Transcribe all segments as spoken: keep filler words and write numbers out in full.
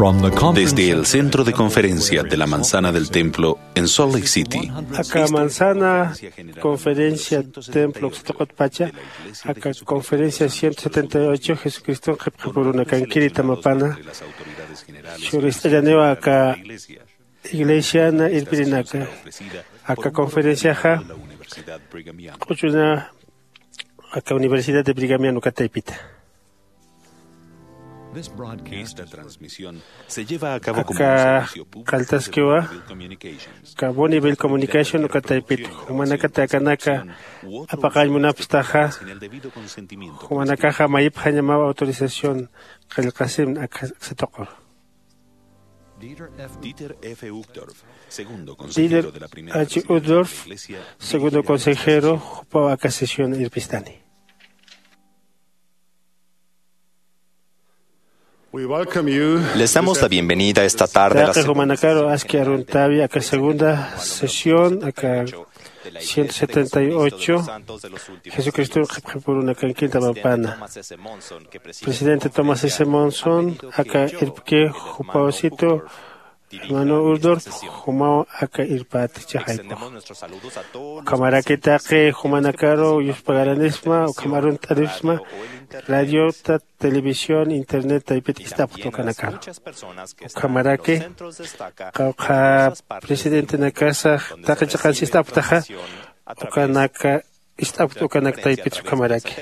From the conference Desde el centro de conferencia de la Manzana del Templo en Salt Lake City, aka Manzana Conferencia Templo uksatuqutpacha, aka conferencia ciento setenta y ocho Jesucriston qhipqipurunakankiri tamapana, churist'añaniwa aka iglesiana irpirinaka, aka conferenciaxa q'uchuna aka Universidad de Brighamian uka taypita. Esta transmisión se lleva a cabo como un Aka servicio público de qalltaskiwa, Bonneville Communications, aka Bonneville Communication uka taypit, jumanakata akanaka apaqañ munapstaxa, jumanakaxa mayipxañamaw autorización qillqasimn aka satuqur. Dieter F. Uchtdorf, segundo Dieter consejero de la primera H. Uchtdorf, segundo consejero, jupaw aka sesión irpistani. We welcome you Les damos la bienvenida esta tarde a la Taqi segunda jumanakaru sesión aski aruntawi aka segunda sesión aka ciento setenta y ocho Jesucristo qhipqipurunakankiri tamapana. Presidente Thomas S. Monson aka irpki, jupawsitu hermano Uchtdorf, jumaw aka irpat chixaypux. Ukhamaraki taqi jumanakaru yuspagaranisma, ukham arunt'anisma, radiota, televisión, internet taypit ist'apxta ukanakaru. Ukhamaraki qawqha presidentenakasa taqi chiqansi ist'apxtaxa, ukanaka ist'apxta ukanak taypit ukhamaraki.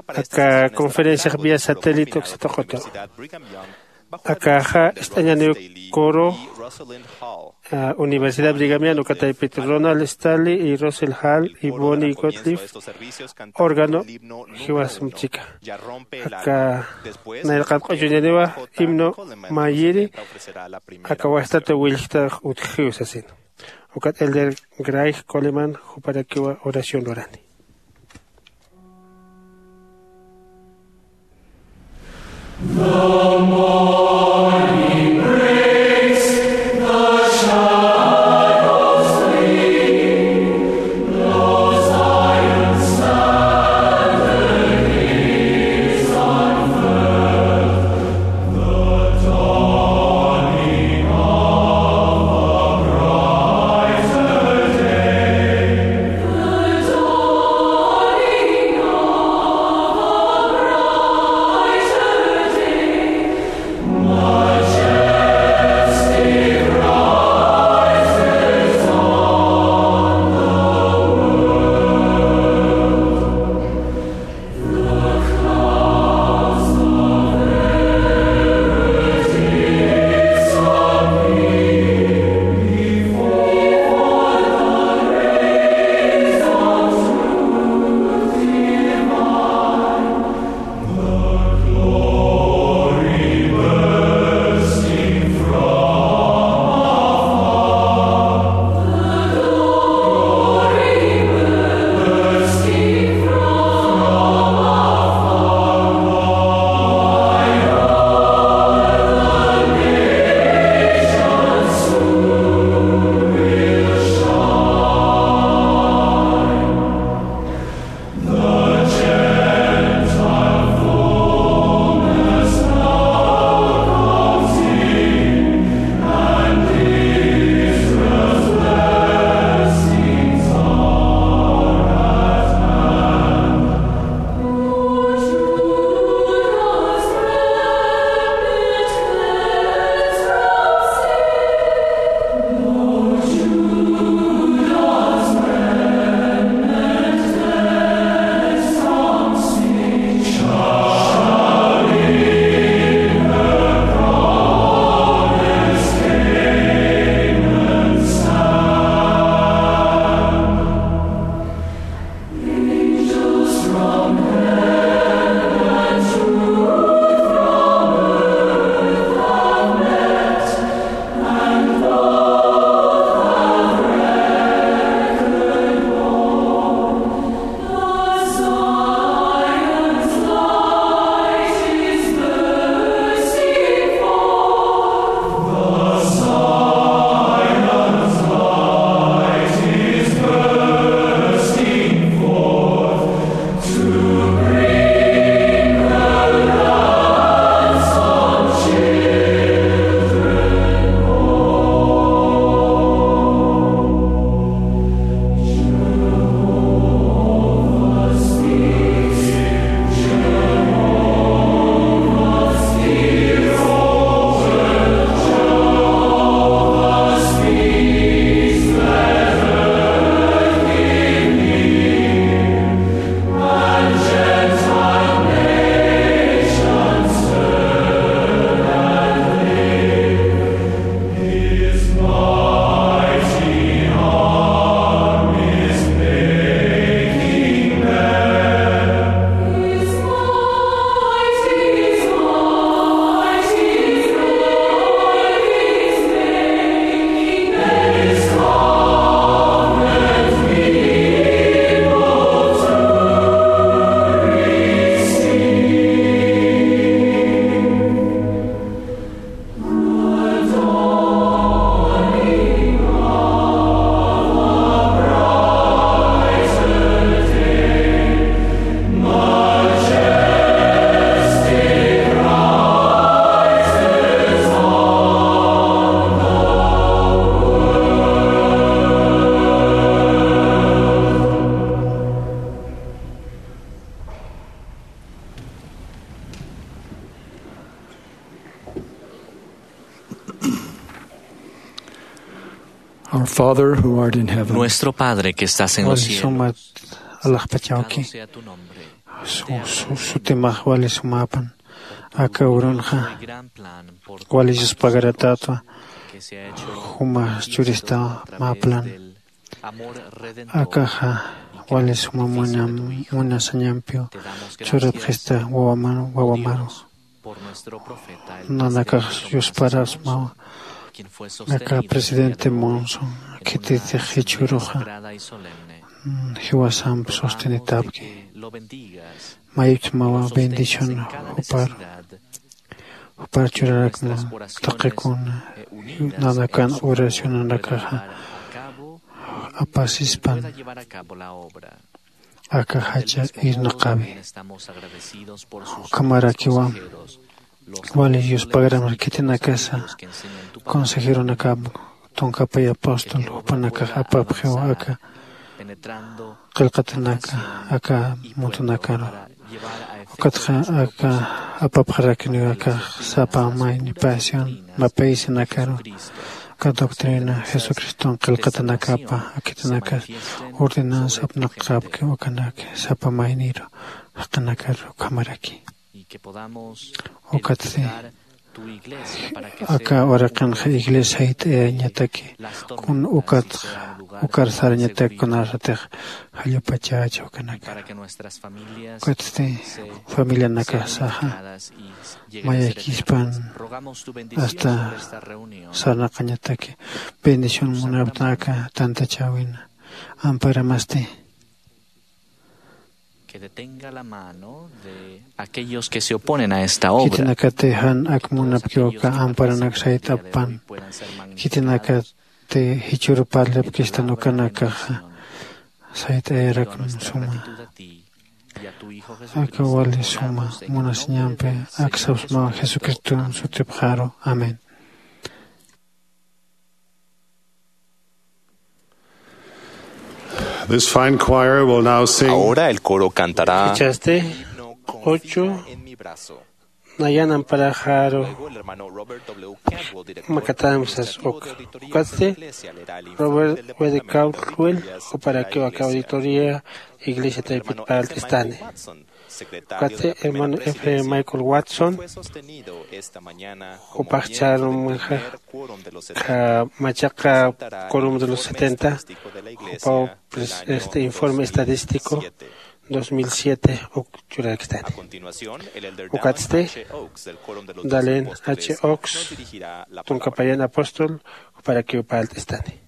Aka conferenciax vía satélite uksatuqutu. Akaxa ist'añaniw coro, ah, Universidad Brighamian uka taypit Ronald Stanley y Russell Hall y Bonnie Gottlieb, órgano, jiwasamp chika. Aka nayraqat q'uchuñaniwa himno mayiri, aka wastata willjta utjiw sasin. Ukat Elder Gray Coleman juparakiwa oración lurani. Father who art in heaven, Nuestro Padre que estás en los cielos, suma alaxpachawki. Santificado sea tu nombre. Su, su, sutimax wali sumapan. Aka urunxa wali yuspagaratatwa. Juma churista maplan. Akaxa wali suma munasañampiw churapxista wawamaru. Nanakax yusparasmawa. Aka presidente Monson khititix jichhüruxa jiwasamp sostenitäpki. Mayiptmawa bendición juparu. Jupar churarakma taqikuna nanakan oracionanakaxa apasispan. Aka jacha irnaqawi. Ukhamarakiwa wali yuspagramar khitinakasa consejeronakap tunkapay apóstol jupanakax apapxiw aka qillqatanaka aka muntunakaru. Ukatxa aka apapxarakiniw aka sapa mayni pasión mapaysinakaru. Aka doctrina Jesucriston qillqatanakapa akitanakas ordenanza apnaqapki ukanaki sapa mayniru jaqinakaru ukhamaraki. Ukatsti aka uraqinxa iglesia sayt'ayañataki kun ukat ukar sarañatak kunasatix jallupachächa ukanaka. Ukatsti familianakasaxa mayakispan hasta sarnaqañataki bendición munaptan aka tantachäwina. Amparamasti que detenga la mano de aquellos que se oponen a esta obra. Khitinakati jan ak munapkiw aka amparanak sayt'appan. Khitinakati jichhüru parlapkistan ukanakaxa sayt'ayarakun suma. Aka wali suma munasiñampi aksapsmaw Jesucriston sutipxaru. Amén. This fine choir will now sing. Ahora el coro cantará Jichhasti ocho nayan amparaxaru. Luego el hermano Robert W. Campbell, director de la iglesia, uk. Ukatsti Robert W. Caldwell juparakiw aka auditoría iglesia taypit parlt'istani. Ukatsti hermano F. Michael Watson jupax chärumxa machaqa quórum de los setenta, jupaw este informe estadístico dos mil siete uk churarakistani. Ukatsti Dalen H. Oaks tunkapayan apóstol juparakiw parlt'istani.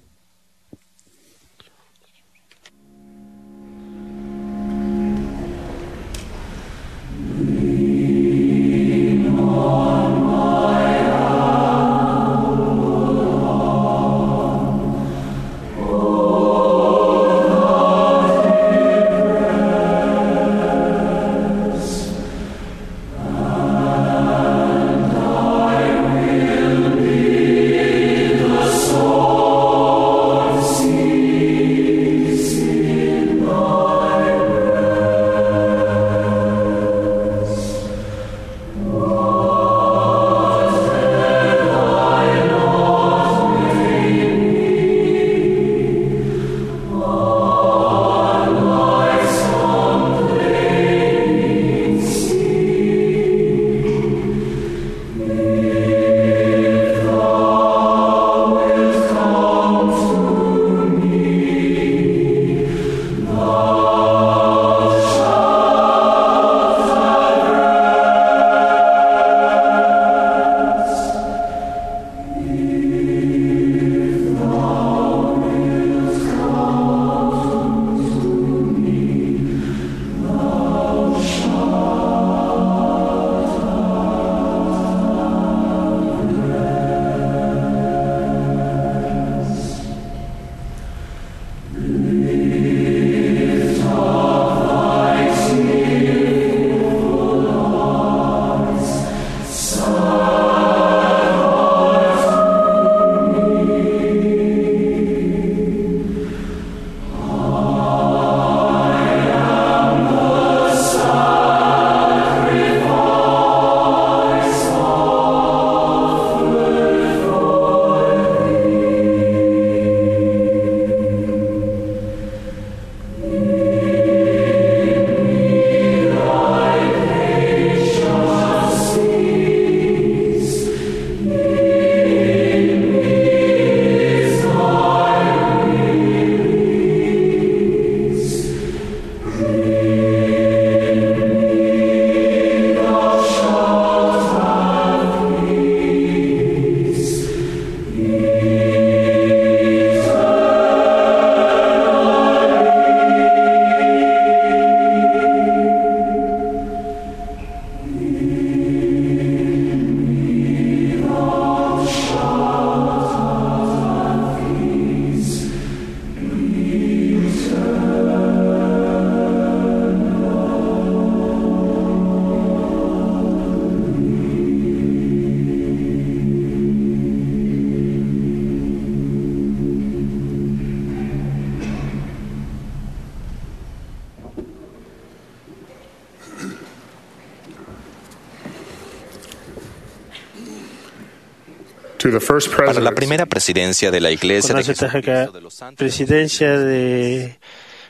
To the first Para la presidency, primera presidencia de la iglesia de Kunasatix aka Jesucristo de los Santos presidencia de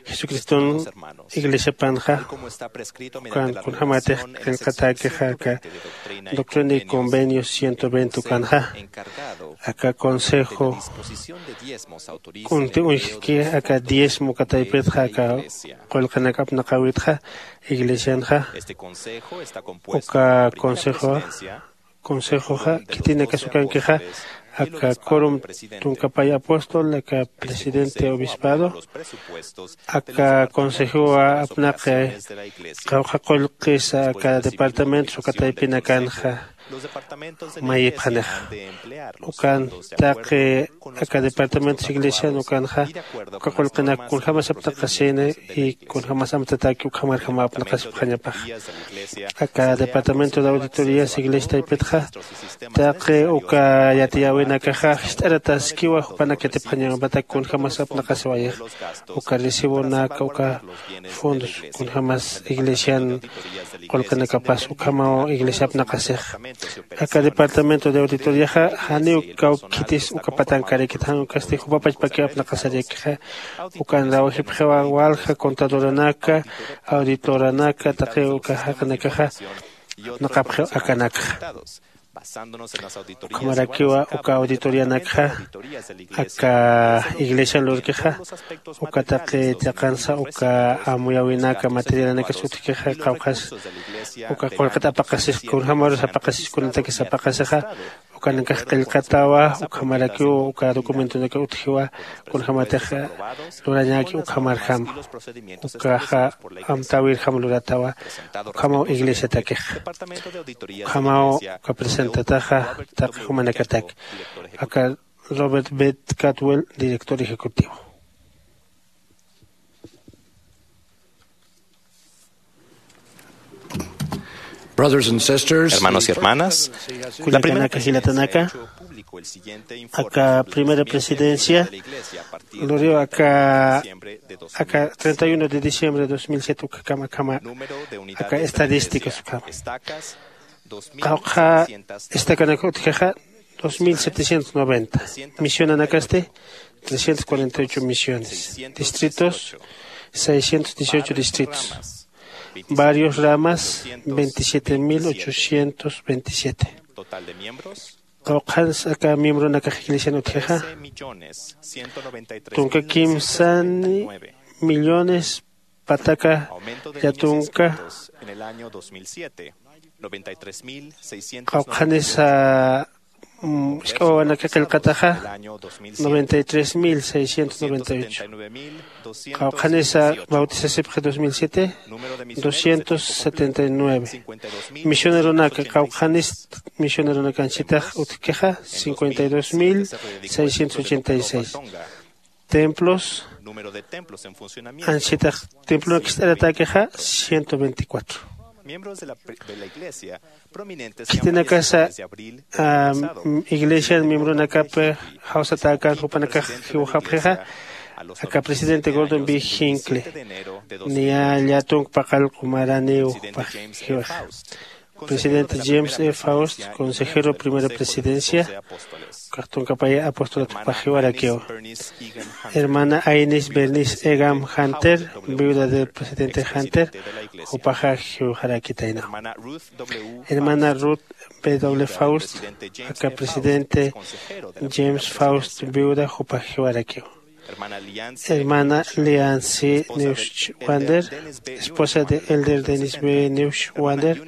Jesucristo iglesia panxa, ukan kunjamatix qillqatäkixa aka Doctrina y Convenios ciento veinte ukanxa, aka consejo kunti uñjki aka diezmo kataypitxa aka qullqinak apnaqäwitxa iglesianxa. Uka consejoxa, consejoxa khitinakas ukankixa aka quorum tunkapay apóstol, aka presidente obispado, aka consejowa apnaqi qawqha qullqisa aka departamentos uka taypinakanxa mayipxanixa. Ukan taqi aka departamentos iglesian ukanxa uka qullqinak kunjamas apnaqasini y kunjamas amtataki ukhamarjama apnaqasipxañapaxa. Aka departamento de auditorías iglesia taypitxa taqi uka yatiyäwinakaxa jist'arataskiwa jupanak yatipxañapatak kunjamas apnaqasiwayixa. Uka recibonaka uka fondos kunjamas iglesian qullqinakapas ukhamaw iglesia apnaqasixa. Aka departamento de auditoriaxa janiw kawkhitis uka patankarikit jan ukasti jupapachpakiw apnaqasarakixa. Ukan rawajipxiwa walja contadoranaka, auditoranaka taqi uka jaqinakaxa apnaqapxiw akanakxa. Ukhamarakiwa uka auditorianakxa aka iglesian lurkixa uka taqi chiqansa uka amuyäwinaka materialanakas utjkixa qawqhas uka qullqit apaqasix kunjämarus apaqasix kunatakis apaqasixa ukanakax qillqatawa. Ukhamarakiw uka documentonaka utjiwa kunjämatix lurañäki ukhamarjama. Ukaxa amtäwirjam luratawa. Ukhamaw iglesiatakixa ukhamaw uka presentataxa taqi jumanakatak aka Robert Beth Catwell, director ejecutivo. Brothers and sisters, hermanos y hermanas, la primera kullakanaka jilatanaka, aka primera presidencia luriw aka aka treinta y uno de diciembre de dos mil siete ukhakama akhama aka estadísticas ukhama qawqha estacanaka utjixa dos mil setecientos noventa, misionanakasti trescientos cuarenta y ocho misiones, distritos seiscientos dieciocho distritos, varios ramas veintisiete mil ochocientos veintisiete. Qawqhans aka miembronakax iglesian utjixa tunka kimsani millones pataka llatunka. Qawqhanisa isk'awawanaka qillqataxa noventa y tres mil seiscientos noventa y ocho. Qawqhanisa bautisasipxi dos mil siete doscientos setenta y nueve. Misioneronaka qawqhanis misioneronaka anchitax utjkixa cincuenta y dos mil seiscientos ochenta y seis. Templos anchitax templonakist'aratäkixa ciento veinticuatro. Khitinakasa iglesian miembronakapi jawsatäkän jupanakax jiwxapxixa aka presidente Gordon B Hinckley niya llatunk paqallqu maraniw jupax jiwixa. Presidente James E Faust, consejero primera presidencia, ukax tunkapaya apostolatupax jiwarakiw. Hermana Ainis Bernice Egam Hunter, viuda del presidente Hunter, jupaxa jiwxarakitayna. Hermana Ruth B W Faust, aka presidente James Faust, viuda, jupax jiwarakiw. Hermana Liancy Neuschwander, esposa de elder Dennis B Neuschwander,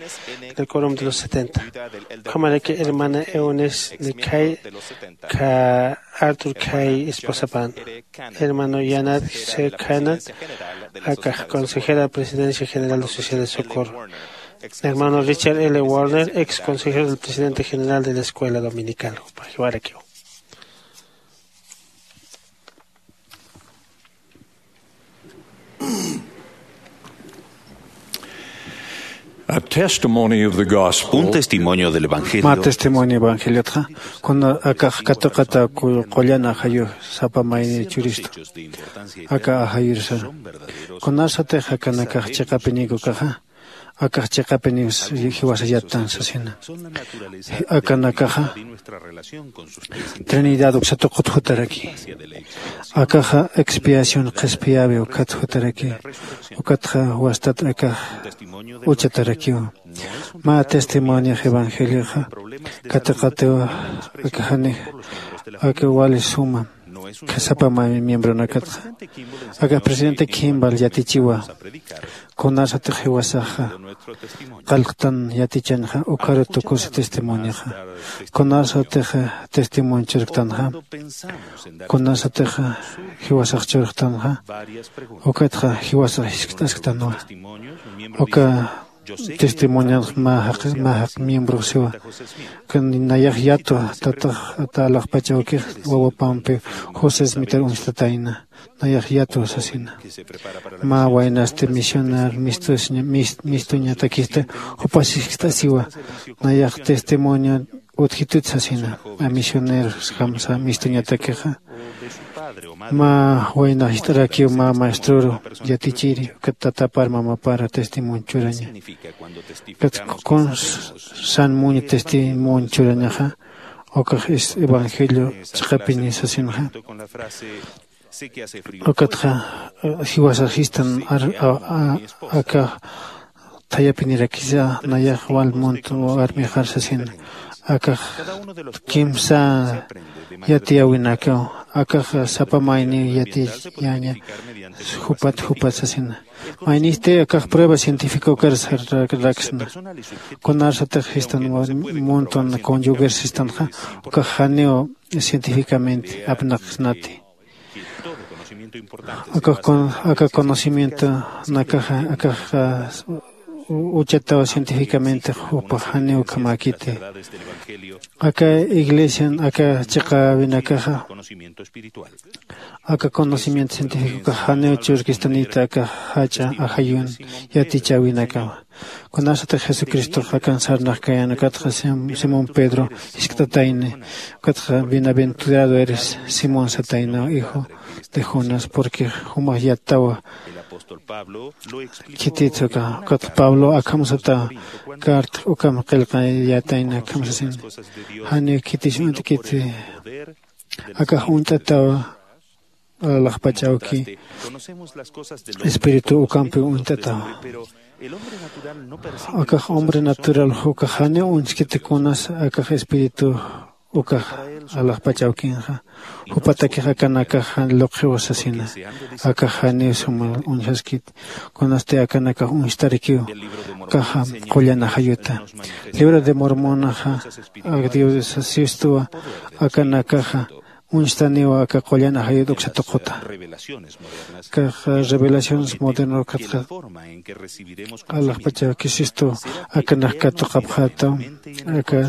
del quórum de los setenta. Ukhamaraki hermana Eunice Nikay, ka Arthur Kay esposapan. Hermano Yanat C Canat, aka consejera de presidencia general de sociedad de socorro. Hermano Richard L Warner, ex consejero del presidente general de la escuela dominical. Jupax jiwarakiw. Un testimonio del evangelio. Ma testimonio evangeliotxa kuna akax katuqata qullan ajayu sapa mayni churistu. Aka ajayursa kunasatix akanakax chiqapiniku kaxa, akax chiqapiniw jiwasa yattan sasina. Akanakaxa trinidad uksa tuqut jutaraki. Akaxa expiación qhispiyäwi ukat jutaraki. Ukatxa wastat akax uchatarakiw. Mä testimoniox evangelioxa katuqatiw akaxani aka wali suma sapa mä miembronakatxa. Aka presidente Kimball yatichiwa kunasatix jiwasaxa qallqtan yatichanxa ukharu tukusi testimonioxa. Kunasatix testimonio churktanxa, kunasatix jiwasax churktanxa, ukatxa jiwasax jiskt'asktanwa. Uka testimonionx mä jaq mä jaq miembrox siwa. Nayax yatwa tatax ata alaxpach awkix wawapampi José Smithar uñstatayna. Nayax yatwa sasina. Mä waynasti misionar mistuñatakista jupas jiskt'asiwa. Nayax testimonio utjitut sasina. A misioneros jamsa mistuñatakixa mä waynax jist'arakiw mä maestroru yatichiri ukat tatapar mamapara testimonio churaña. Ukat kunsan muña testimonio churañaxa ukax evangelio chiqapini sasinxa. Ukatxa jiwasax jistan aka thayapinirakisa nayax wal munt armixar sasin. Akax kimsa yatiyäwinakaw akax sapa mayniw yatiyaña. Jupat jupat sasina. Maynisti akax prueba científica ukar sarraksna. Kunarsatix jistan muntun conyuger sistanxa ukax janiw científicamente apnaqsnati. Aka conocimiento nakaxa akax uchataw científicamente jupax janiw ukhamäkiti. Aka iglesian aka chiqäwinakaxa aka conocimiento científicokax janiw churkistanita aka jach'a ajayun yatichäwinakawa. Kunasatix jesucristox akan sarnaxkayan ukatxa simón pedro jiskt'atayni. Ukatxa bienaventurado eres simón sataynaw hijo de jonas porque jumax yattawa. Khititsa uka ukatxa pablo akham sata carta ukham qillqayatayna akham sasin. Janiw khitis uñt'kiti akax uñt'atawa. Alaxpach awki espíritu ukampiw uñt'atawa. Akax hombre natural ukax janiw uñskiti kunas akax espíritu ukax alaxpach awkinxa. Jupatakix akanakax jan luqxiwa sasina. Akax janiw suma uñjaskit kunasti akanakax uñstarakiw. Akaxa qullan ajayuta libro de mormonaxa ak dios sistuwa akanakaxa uñstaniwa aka qullan ajayut uksa tuquta. Kax revelaciones moderno ukatxa alaxpachawkisistu akanak katuqapxätaw aka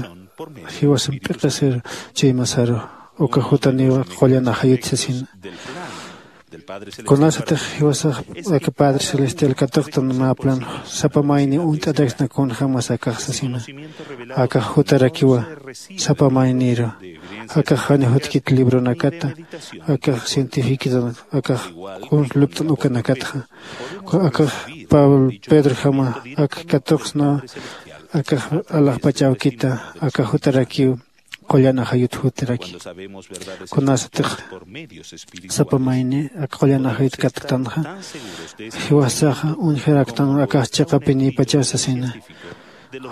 jiwasan p'iqisir chuymasaru uka jutaniwa qullan ajayut sasina. Kunasatix jiwasax aka padre celestial katuqtan mä plan sapa mayni uñt'ataksna kunjämas akax sasina. Akax jutarakiwa sapa mayniru akax jani jutkit libronakata akax cientificotan akax kuns lupt'un ukanakatxa. Akax pablo pedrojama ak katuqsna Akax alaxpach awkita aka jutarakiw qullan ajayut jutaraki. Kunasatix sapa mayni aka qullan ajayut katktanxa, jiwasaxa uñjaraktan akax chiqapinïpachaw sasina.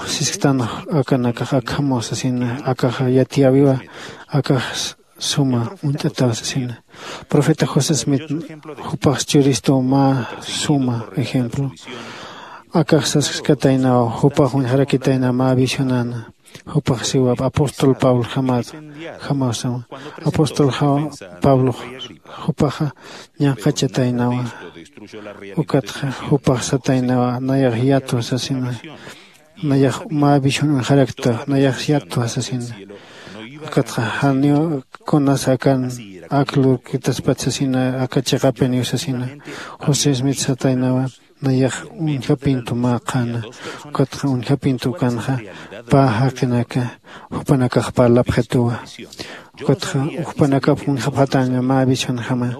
Sisktan akanakax akhamaw sasina, akax yatiyäwiwa akax suma uñt'ataw sasina. Profeta José Smith jupax churistu mä suma ejemplo. Akax saskataynaw jupax uñjarakitayna mä visionana. Jupax siwap apóstol Pablo jamawsama. Apóstol Pablo jupaxa ñanqachataynawa. Ukatxa jupax sataynawa nayax yatwa sasina. Nayax mä visión uñjarakta nayax yatwa sasina. Ukatxa janiw kunas akan ak lurkitaspat sasina aka chiqapiniw sasina. José Smith sataynawa nayax uñjapintu mä qhana. Ukatxa uñjapintu ukanxa pä jaqinaka jupanakax parlapxituwa. Ukatxa jupanakap uñjapxataña mä visionjama.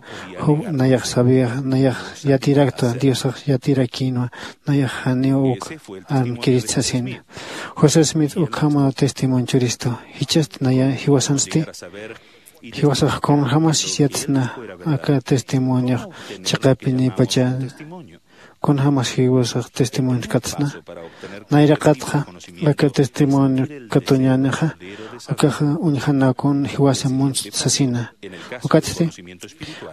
Nayax sabiyax nayax yatiraktwa diosax yatirakïnwa. Nayax janiw uk armkirist sasina. José Smith ukhamaw testimonio churistu. Jichhasti naya jiwasansti jiwasax kunjämasis yatsna aka testimoniox chiqapinïpacha. Kunjämas jiwasax testimoniox katsna. Nayraqatxa aka testimonio katuñänixa akaxa uñjanakun jiwasa munst sasina. Ukatsti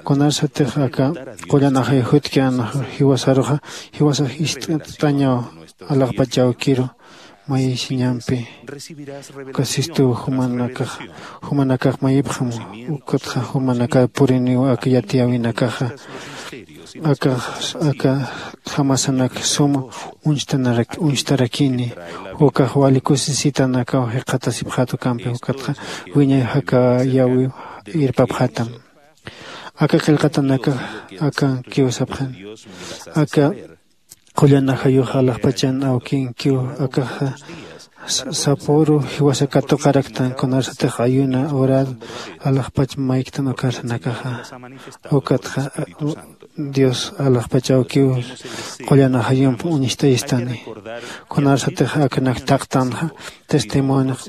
kunarsatix aka qullan ajay jutki anax jiwasaruxa jiwasax ist'añaw alaxpach awkiru mayisiñampi. Uka sistuw jumanakax jumanakax mayipxam. Ukatxa jumanakax puriniw aka yatiyäwinakaxa akax aka jamasanak suma uñstarakini. Ukax wali kusisitanakaw jikxatasipxät ukampi ukatxa wiñay jakayäwiw irpapxätam. Aka qillqatanakax akankiw sapxani. Aka qullan ajayux alaxpachan awkinkiw akaxa sapüru jiwasa katuqaraktan kunarsatix ayuna orar alaxpach mayktan ukarsanakaxa. Ukatxa dios alaxpach awkiw qullan ajayump uñst'ayistani. Kunarsatix akanak thaqtanxa testimoniox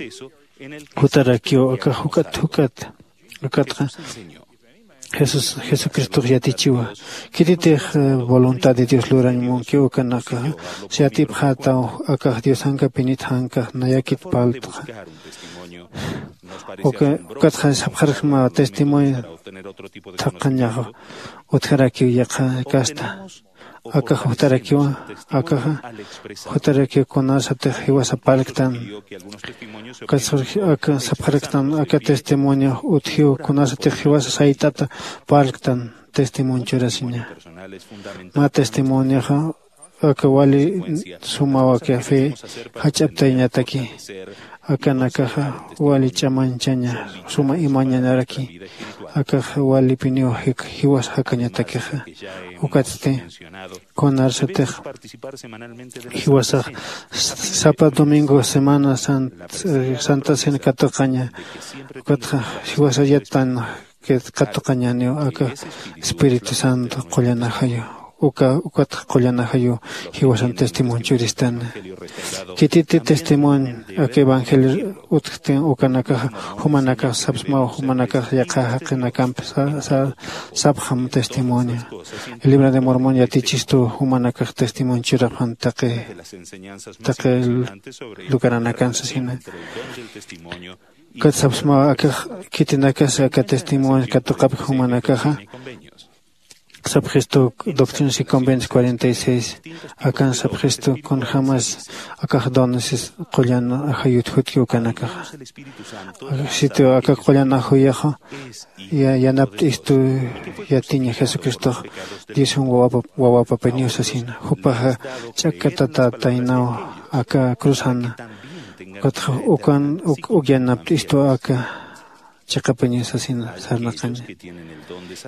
jutarakiw akax juk'at juk'at ukatxa jesús jesucristox yatichiwa. Khititix voluntad de dios lurañ munkiw ukanakaxa siyatipxätaw akax diosankapinit jankax nayakit parltxa. Ukatxa sapxarksma testimonio thaqhañax utjarakiw yaqha kasta. Akax jutarakiwa akaxa jutarakiw kunasatix jiwasa parlktan. Aka sapxaraktan aka testimonio utjiw kunasatix jiwasa sayt'ata parlktan testimonio churasiña. Mä testimonioxa aka wali sumawa café jach'aptayañataki. Akanakaxa wali ch'amañchaña suma imañanaraki. Akaxa walipiniw jiwas jakañatakixa. Ukatsti kunarsatix jiwasax sapa domingo semana santa cena katuqaña. Ukatxa jiwasax yattan katuqañaniw aka espíritu santo qullanajayu. Uka ukatxa qullanajayu jiwasan testimonio churistana. Khititi testimonio aka evangelio utjktin ukanakaxa jumanakax sapsmaw jumanakax yaqha jaqinakamp sapxam testimonio. El libro de mormón yatichistu jumanakax testimonio churapxan taqi taqi lugaranakan sasina. Kat sapsmaw akax khitinakas aka testimonio katuqapki jumanakaxa sapxistu doctrinas y convenios cuarenta y seis. Akan sapxistu kunjämas akax donesis qullan ajayut jutki ukanakaxa. Sitio aka qullan ajuyaxa yanapt'istu yatiña jesucristox diosan wawapapiniw sasina. Jupaxa ch'akkatatataynaw aka cruzana. Ukatxa ukan uk yanapt'istu aka chiqapañaw sasina sarnaqaña.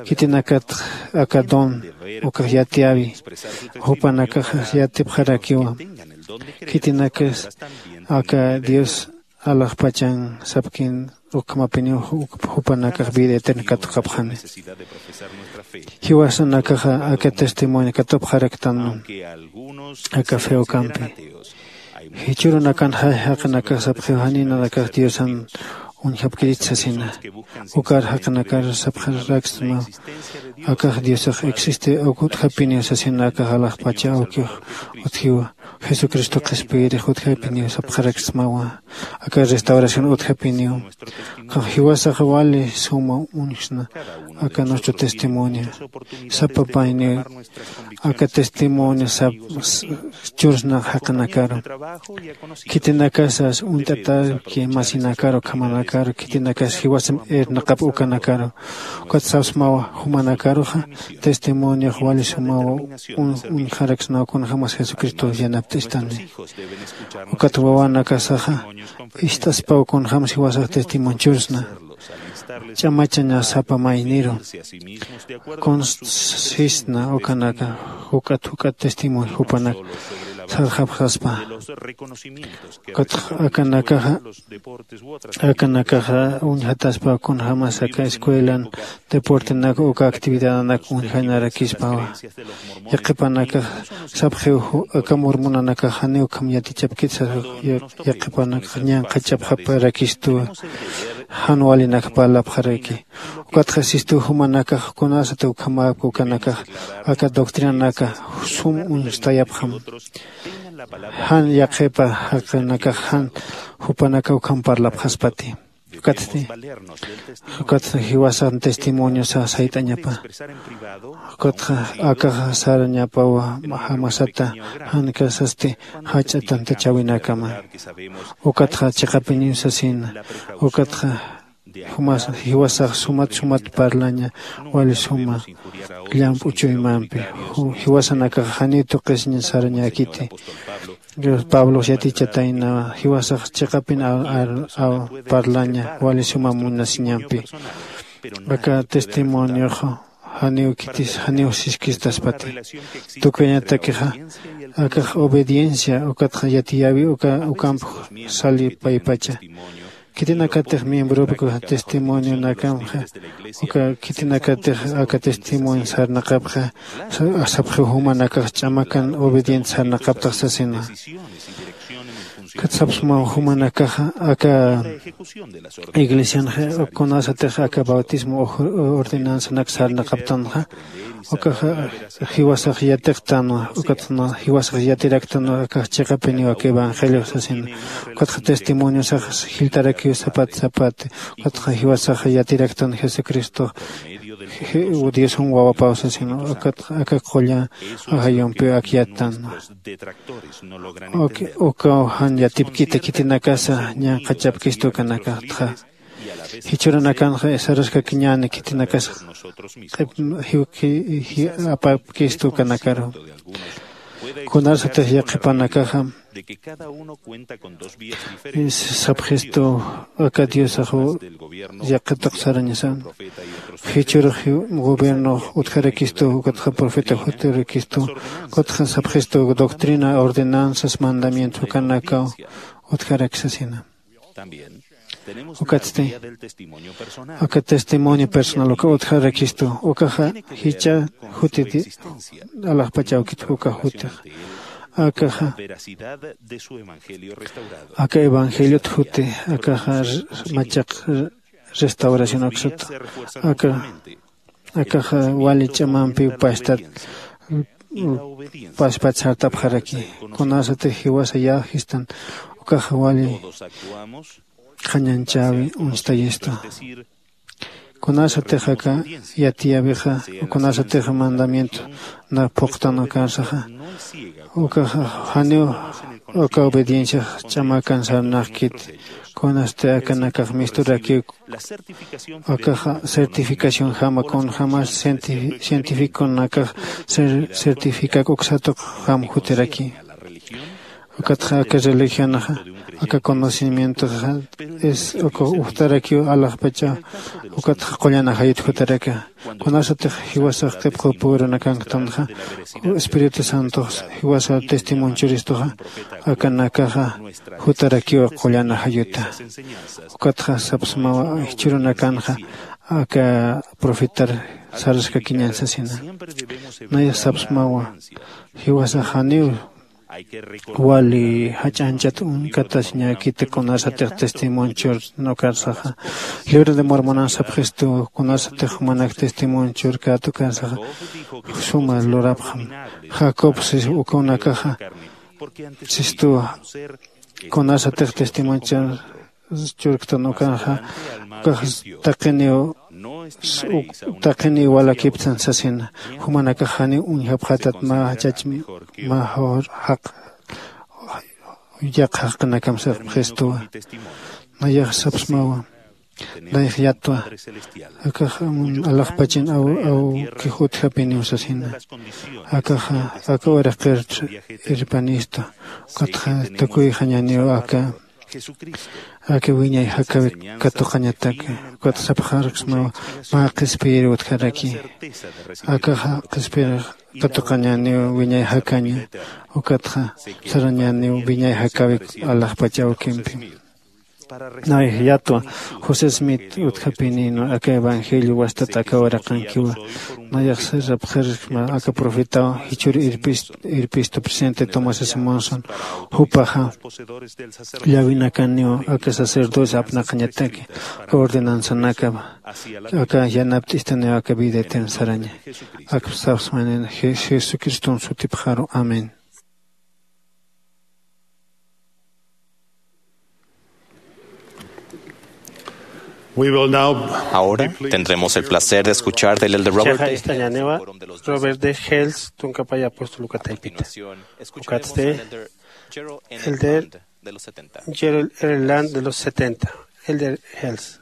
Khitinakat aka don ukax yatiyäwi jupanakax yatipxarakiwa. Khitinakas aka dios alaxpachan sapkin ukhamapiniw jupanakax vida eterna katuqapxani. Jiwasanakaxa aka testimonio katupxaraktan aka fe ukampi. Jichhürunakan jaqinakax sapxiw janinanakax diosan uñjapkirit sasina. Ukar jaqinakar sapxaraksma akax diosax existe uk utjapiniw sasina akax alaxpacha awkiw utjiwa. Jesucristo qhispiyirix utjapiniw sapxaraksmawa. Aka restauración utjapiniw qan jiwasax wali suma uñjsna. Aka nuestro testimonio sapa payniw aka testimonio sap chursna jaqinakaru khitinakasas uñt'atarki masinakaru ukhamanakaru khitinakas jiwasam irnaqap ukanakaru. Ukat sapsmawa jumanakaruxa testimoniox wali sumawa uñjaraksnaw kunjämas jesucristo yanapt'istani. Ukat wawanakasaxa ist'aspaw kunjämas jiwasax testimonio chursna. Ch'amachaña sapa mayniru kunsisna ukanaka juk'at juk'at testimonio jupanak sarxapxaspa. Ukatxa akanakaxa akanakaxa uñjataspa kunjämas aka escuelan deportenak uka actividadanak uñjanarakispawa. Yaqhipanakax sapxiw aka mormonanakax janiw ukham yatichapkit sasa. Yaqhipanakax ñanqhachapxaparakistuwa jan walinak parlapxaraki. Ukatxa sistuw jumanakax kunasat ukhamäpki ukanakax aka doctrinanaka sum uñstayapxam. Jan yaqhipa jaqinakax jan jupanaka ukham parlapxaspati. Ukatsti ukatxa jiwasax testimoniosa sayt'añapa. Ukatxa akaxa sarañapawa jamasata jan kasasti jach'a tantachäwinakama. Ukatxa chiqapiniw sasina. Ukatxa jiwasax sumat sumat parlaña wali suma llamp'u chuymampi. Jiwasanakax janiw tuqisiña sarañäkiti. Pablox yatichataynawa jiwasax chiqapin parlaña wali suma munasiñampi. Aka testimoniox janiw khitis janiw siskistaspati. Tukuyañatakixa akax obediencia ukatxa yatiyäwi ukamp sali paypacha. Khitinakatix miembropki testimonionakamxa uka khitinakatix aka testimonio sarnaqapxa sapxiw jumanakax ch'amakan obediente sarnaqaptax sasina. Kat sapsmaw jumanakaxa aka iglesianxa kunasatix aka bautismo ordenanzanak sarnaqaptanxa ukaxa jiwasax yatiqtanwa. Ukatxa jiwasax yatiraktanwa akax chiqapiniw aka evangeliox sasina. Ukatxa testimoniosax jiltarakiw sapat sapati. Ukatxa jiwasaxa yatiraktan jesucristox diosan wawapaw sasina. Ukatxa aka qulla ajayumpiw akyattanwa. Ukaw jan yatipkita khitinakasa ñanqhachapkistu ukanakatxa. Jichhürunakanxa saraskakiñäni khitinakasa q'ip apapkistu ukanakaru. Kunasatix yaqhipanakaxa sapxistu aka diosaxw yaqhituq sarañasan. Jichhürux gobiernox utjarakistu ukatxa profeta jutarakistu ukatxa sapxistu doctrina ordenanzas mandamientos ukanakaw utjarak sasina. Ukatsti aka testimonio personal uka utjarakistu ukaxa jichha jutiti alaxpach awkit uka jutix. Akaxa aka evangeliot juti akaxa machaq restauración aksata aka akaxa wali ch'amampiw pastat paspat sartapxaraki. Kunasatix jiwasa yäjistan ukaxa wali qhañanchäwi uñstayistu. Kunasatix aka yatiyäwixa kunasatix mandamiento na phuqtan ukansaxa ukaxa janiw aka obedienciax ch'amakan sarnaqkit. Kunasti akanakax misturakiw akaxa certificación jama kunjämas cientificonakax certificak uksatuq jam jutiraki. Ukatxa aka religionxa aka conocimientoxa es uka ujtarakiw alaxpacha ukatxa qullan ajayut jutaraka. Kunasatix jiwasax qhipqupürunakanktantxa espíritu santox jiwasa testimonchuristuxa akanakaxa jutarakiw qullan ajayuta. Ukatxa sapsmawa jichhürunakanxa aka profetar saraskakiñan sasina. Nayax sapsmawa jiwasax janiw Wali jach'anchat uñkatasiñäkiti kunasatix testimonchur nukarsaxa. Libro de Mormonan sapxistu kunasatix jumanak testimonchur katukarsaxa suma lurapxam. Jacob sis ukunakaxa sistuwa kunasatix testimonchur churktan ukanxa ukax taqiniw taqiniw walakiptan sasina. Jumanakax janiw uñjapxatat mä jachach mä jaq yaq jaqinakam sapxistuwa. Nayax sapsmawa. Nayax yatwa akax alaxpachin awkix utjapiniw sasina. Akaxa aka uraqir irpanistu. Ukatxa tukuyxañaniw aka aka wiñay jakäwik katuqañatak. Ukat sapxarksmaw mä qhispiyir utjaraki. Akaxa qhispiyir katuqañaniw wiñay jakaña. Ukatxa sarañaniw wiñay jakäwik alaxpach awkimpi. Nay yatwa josé smith utjapinïnwa aka evangelio wastat aka uraqankiwa. Nayax sirapxirksma aka profetaw jichhür irpistu presidente tomás simonson. Jupaxa llawinakaniw aka sacerdocio apnaqañataki ordenanzanakapa aka yanapt'istaniw aka vida eterna saraña. Akpsapsmanin jesucriston sutipxaru amén. Ahora tendremos el placer de escuchar del elder Robert D. Hales, Robert D. Hales, tunkapaya apóstol ukataypita. Ukatste elder Gerald R. Land de los setenta. Elder Hales.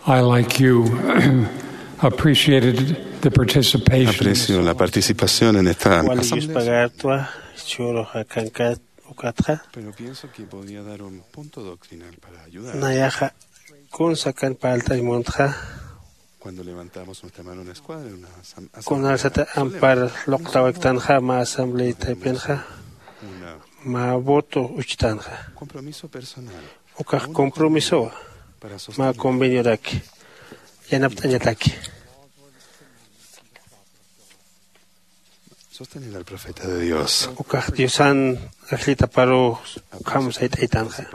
I, like you, appreciated the participation. Aprecio la participación en esta asamblea. Wali yuspagartwa churu jakankat ukatxa. Pero pienso que podría dar un punto doctrinal para ayudar. Nayaxa kun sakan parlt'añ muntxa. Cuando levantamos nuestra mano en una escuadra, en una asamblea, kunasata ampar luqtawiktanxa mä asamblea taypinxa, mä voto uchtanxa. Compromiso personal. Ukax compromisowa mä convenioraki yanapt'añataki. Sostener al profeta de Dios. Ukax diosan ajllitaparu ukham sayt'aytanxa.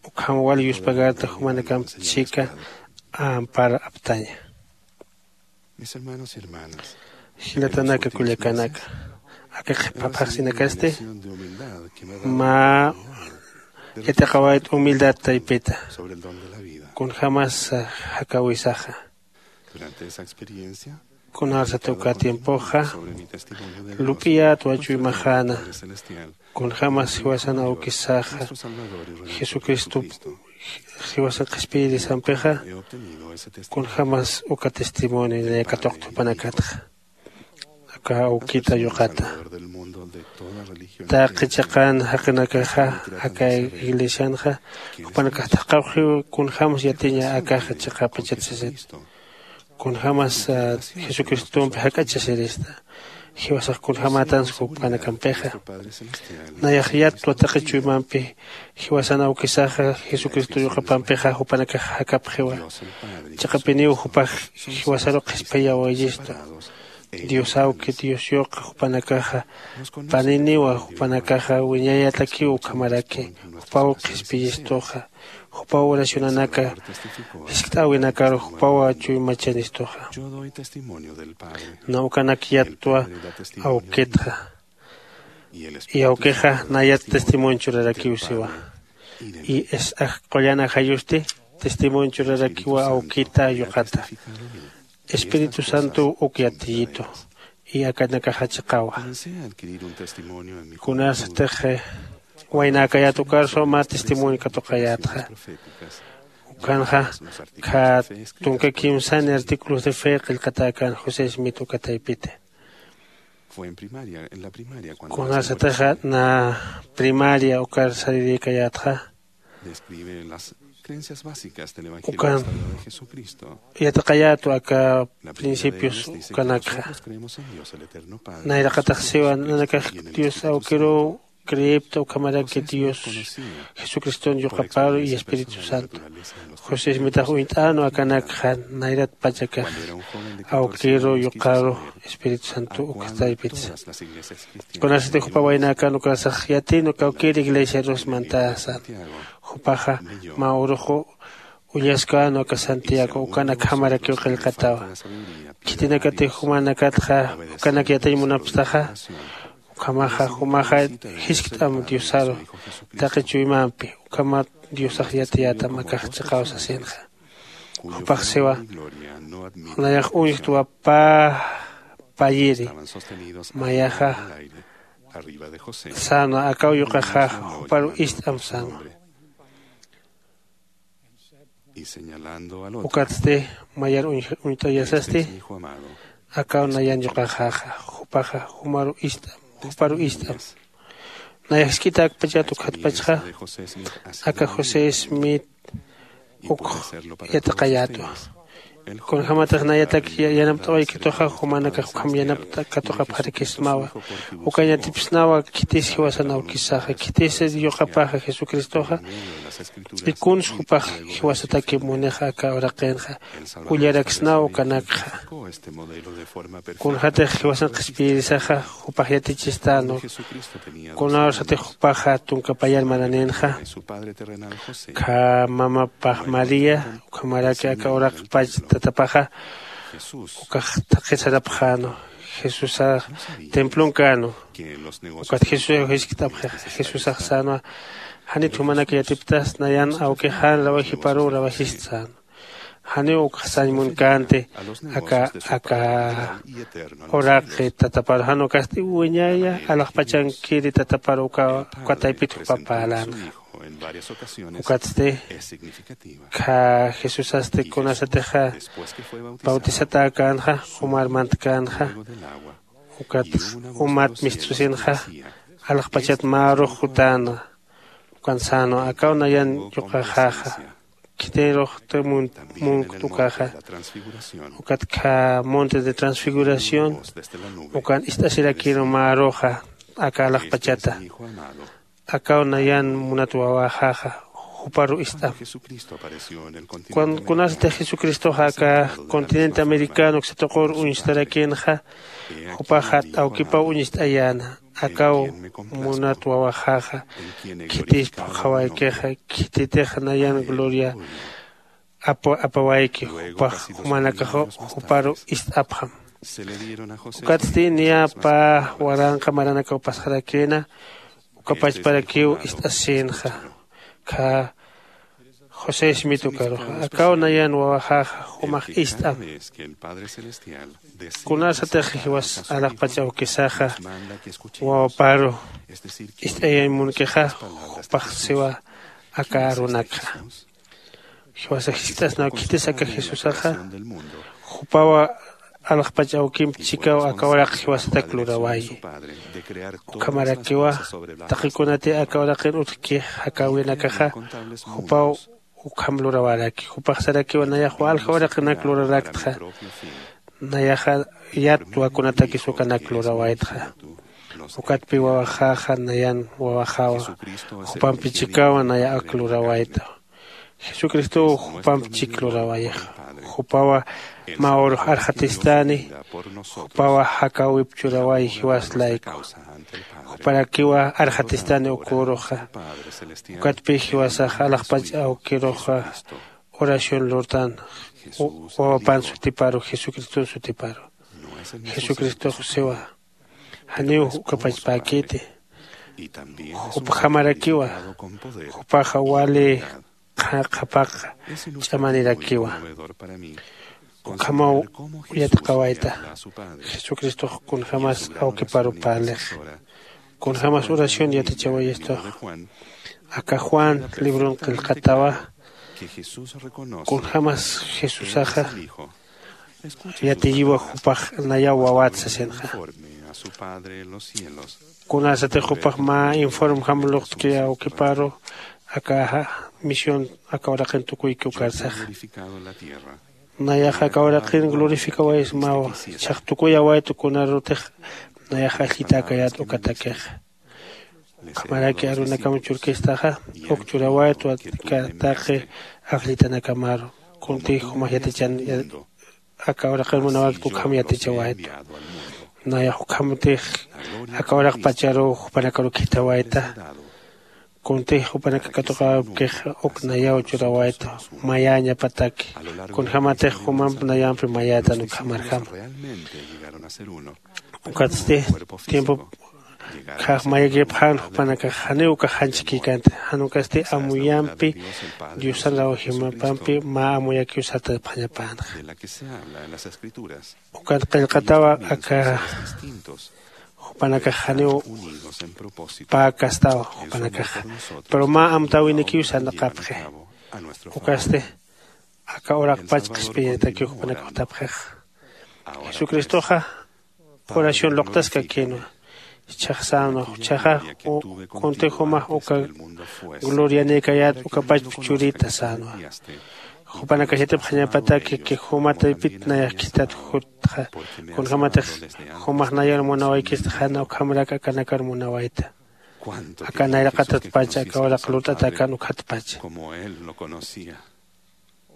Ukham wal yuspagarta jumanakamp chika ampar aptaña. Jilatanaka kullakanaka, aka qhipaphaxsinakasti mä yatiqawayt humildad taypita kunjämas jakawisaxa. Kunarsat uka tiempoxa lup'iyät wachuymaxäna. Kunjämas jiwasan awkisaxa jesucristop jiwasan qhispiyirisampixa kunjämas uka testimonio naya katuqta jupanakatxa. Aka awkita yuqata taqi chiqan jaqinakaxa aka iglesianxa jupanakax thaqhawxiw kunjämas yatiña akaxa chiqapachat sisita. Kunjämas jesucristompi jak'achasirista jiwasax kunjämätansa jupanakampixa. Nayax yatwa taqi chuymampi jiwasan awkisaxa jesucristo yuqapampixa jupanakax jakapxiwa. Chiqapiniw jupax jiwasaru qhispiyawayistu. Dios awki dios yuqa jupanakaxa paniniwa jupanakaxa wiñayatakiw ukhamaraki jupaw qhispiyistuxa. Jupaw oracionanaka jiskt'äwinakaru jupawa chuymachanistuxa. Nawkanak yattwa awkitxa. Y awkixa nayat testimonio churarakiw siwa. Y es aj qullan ajayusti testimonio churarakiwa awkita yuqata. Espíritu santo uk yatiyitu y akanakaxa chiqawa. Kunasatix waynäkayät ukarsaw mä testimonio katuqayätxa. Ukanxa kha tunka kimsani artículos de fe qillqatäkän josé smith uka taypiti. Kunasatixa na primaria ukar sarirïkayätxa. Ukan yatiqayätwa aka principios ukanakxa. Nayraqatax siwa nanakax dios awkiruw Creepta ukhamaraki dios jesucriston yuqaparu y espíritu santo. José ismitax uñt'änu akanakxa nayrat pachakax awkiru yuqaru espíritu santo ukataypitsa. Kunasati jupa waynäkan ukasax yatin ukawkir iglesiarus mantäsan jupaxa mä uruxu ullaskän uka santiago ukan akhamarakiw qillqatawa. Khitinakatix jumanakatxa ukanak yatiñ munapstaxa ukhamaxa jumaxa jiskt'am diosaru taqi chuymampi ukhamat diosax yatiyätam akax chiqaw sasinxa. Jupax siwa nayax uñjtwa pä payiri mayaxa sänwa akaw yuqaxäxa juparu ist'am sänwa. Ukatsti mayar uñt'ayasasti akaw nayan yuqaxäxa jupaxa jumaru ist'am juparu ist'am. Nayax jisk'itäkpachat ukhatpachxa aka josé smith ukx yatiqayätwa. Kunjämatix nayatak yanapt'awaykituxa jumanakax ukham yanapt'a katuqapxarakismawa. Ukañ yatipsnawa khitis jiwasan awkisaxa khitis yuqapaxa jesucristoxa. Y kuns jupax jiwasataki munixa aka uraqinxa ullaraksnaw ukanakxa. Kunxatix jiwasan qhispiyirisaxa jupax yatichistänwa. Kunawsatix jupaxa tunka payar maraninxa kha mamapax maría ukhamaraki aka uraqpach tatapaxa ukax thaqhi sarapxänwa. Jesusax templon känwa. Ukat jesusax jiskt'apxixa jesusax sänwa janit jumanak yatiptas nayan awkixan lawajiparuw lawajist sänwa. Janiw ukxasañ munkänti aka aka uraqi tatapar jan ukasti wiñaya alaxpachankiri tatapar uka uka taypit jupa parlänxa. Ukatsti kha jesusasti kunasatixa bautisatäkänxa umar mantkänxa ukat umat mistsusinxa alaxpachat mä arux jutänxa. Ukan sänwa akaw nayan yuqaxäxa khitiruxta munkt ukaxa ukat kha monte de transfiguración ukan ist'asirakïnwa mä aruxa aka alaxpachata. Akaw nayan munat wawaxäxa juparu ist'am. Kunasatix jesucristoxa aka continente americano uksa tuqur uñstarakïnxa jupaxa awkipaw uñst'ayäna. Akaw munat wawaxäxa khitis phuqhawaykixa khititix nayan gloria apawayki jupax jumanakaxu juparu ist'apxam. Ukatsti niya pä waranqa maranakaw pasxarakïna uka pachparakiw ist'asïnxa. Kha josé smith ukaruxa akaw nayan wawaxäxa jumax ist'am. Kunasatix jiwas alaxpach awkisaxa wawaparu ist'ayañ munkixa jupax siwa aka arunakxa. Jiwasax jiskt'asnaw khitis aka jesusaxa jupawa alaxpach awkimp chikaw aka uraq jiwasatak lurawayi. Ukhamarakiwa taqi kunati aka uraqin utjki jakäwinakaxa jupaw ukham lurawäraki. Jupax sarakiwa nayax walja uraqinak luraraktxa nayaxa yat wakunatakis ukanak lurawaytxa. Ukatpi wawaxäxa nayan wawaxäwa jupampi chikawa naya ak lurawayta. Jesucristow jupamp chik lurawayixa. Jupawa mä urux arxatistani jupawa jakäwip churaway jiwas layku. Juparakiwa arxatistani uk uruxa. Ukatpï jiwasax alaxpach awkiruxa oración lurtan wawapan sutiparu jesucriston sutiparu. Jesucristox siwa janiw ukapachpäkiti. Jupjamarakiwa jupaxa wali qhapaq ch'amanirakiwa. Ukhamaw yatiqawayta jesucristox kunjämas awkiparu parlix. Kunjämas oración yatichawayistox aka juan libron qillqatawa. Kunjämas jesusaxa yatiyiwa jupax nayaw wawat sasinxa. Kunasatix jupax mä informjam luqtki awkiparu aka misión aka uraqin tukuyki ukarsaxa. Nayax aka uraqin glorificawaysmawa. Jichhax tukuyawaytu kunarutix nayax ajllitäkayät ukatakixa. Ukhamaraki arunakam churkistaxa uk churawaytwa taqi ajllitanakamaru. Kuntix jumax yatichan aka uraqir munawakta ukham yatichawaytwa. Nayax ukhamtix aka uraqpacharuw jupanakaru khithawayta. Kuntix jupanaka katuqawaypkix uk nayaw churawaytwa mayäñapataki. Kunjämatix jumamp nayampi mayätan ukhamarjama. Ukatsti tiempo khax mayakipxän jupanakax janiw ukax janchikïkänti. Jan ukasti amuyampi diosan rawjimapampi mä amuyakiw sartapxañapänxa. Ukat qillqatawa aka jupanakax janiw pä kastaw jupanakaxa, pero mä amtäwinikiw sarnaqapxi. Ukasti aka uraqpach qhispiyañatakiw jupanakax jutapxixa. Jesucristoxa oración luqtaskakïnwa. Jichhax sänwa jichhaxa kuntix jumax uka glorianïkayät ukapachp churita sänwa. Jupanakax yatipxañapataki ki juma taypit nayax khithat jutxa. Kunjämatix jumax nayar munawaykista jan ukhamrak akanakar munawayta. Aka nayraqatatpach aka uraq lurt'atakan ukhatpach.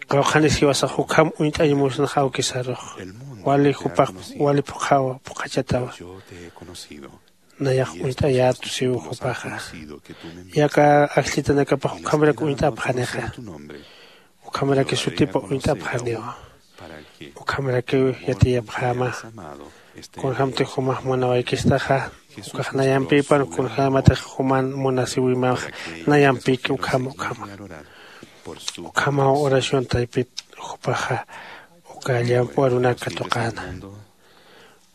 Qawqhanis jiwasax ukham uñt'añ musnax awkisarux. Wali jupax wali phuqhawa phuqhachatawa. Nayax uñt'ayätu siw jupaxa. Yaka ajllitanakapax ukhamrak uñt'apxanixa. Ukhamraki sutipa uñt'apxaniwa. Ukhamrakiw yatiyapxäma. Kunjämtix jumax munawaykistaxa ukax nayampïpan kunjämatix juman munasiwimax nayampïki ukhama ukhama. Ukhamaw oración taypit jupaxa uka llampu arunak katuqäna.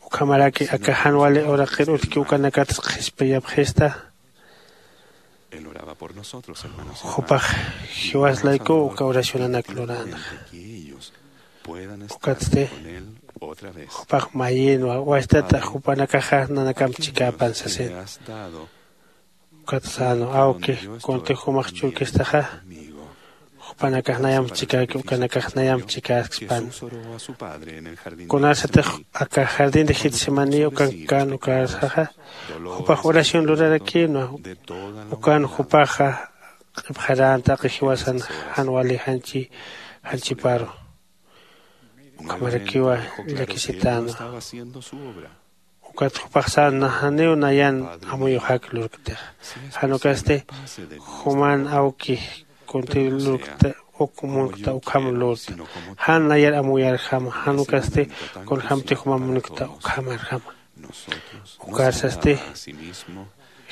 Ukhamaraki aka jan wali uraqir utjki ukanakatsa qhispiyapxista. Jupax jiwas laykuw uka oracionanak luränxa. Ukatsti jupax mayïnwa wastata jupanakaxa nanakamp chikäpan sasin. Ukat sänwa awki kuntix jumax churkistaxa jupanakax nayamp chikäki ukanakax nayamp chikäspan. Kunasatix aka jardín de getsemaní ukankän ukarsaxa jupax oración lurarakïnwa. Ukan jupaxa q'ipxarän taqi jiwasan jan wali janchi janchiparu. Ukhamarakiwa llakisitänwa. Ukat jupax sänwa janiw nayan amuyuxak lurktixa. Jan ukasti juman awki kunti lurkta uk munkta ukham lurta. Jan nayar amuyarjama jan ukasti kunjämti juma munkta ukhamarjama. Ukarsasti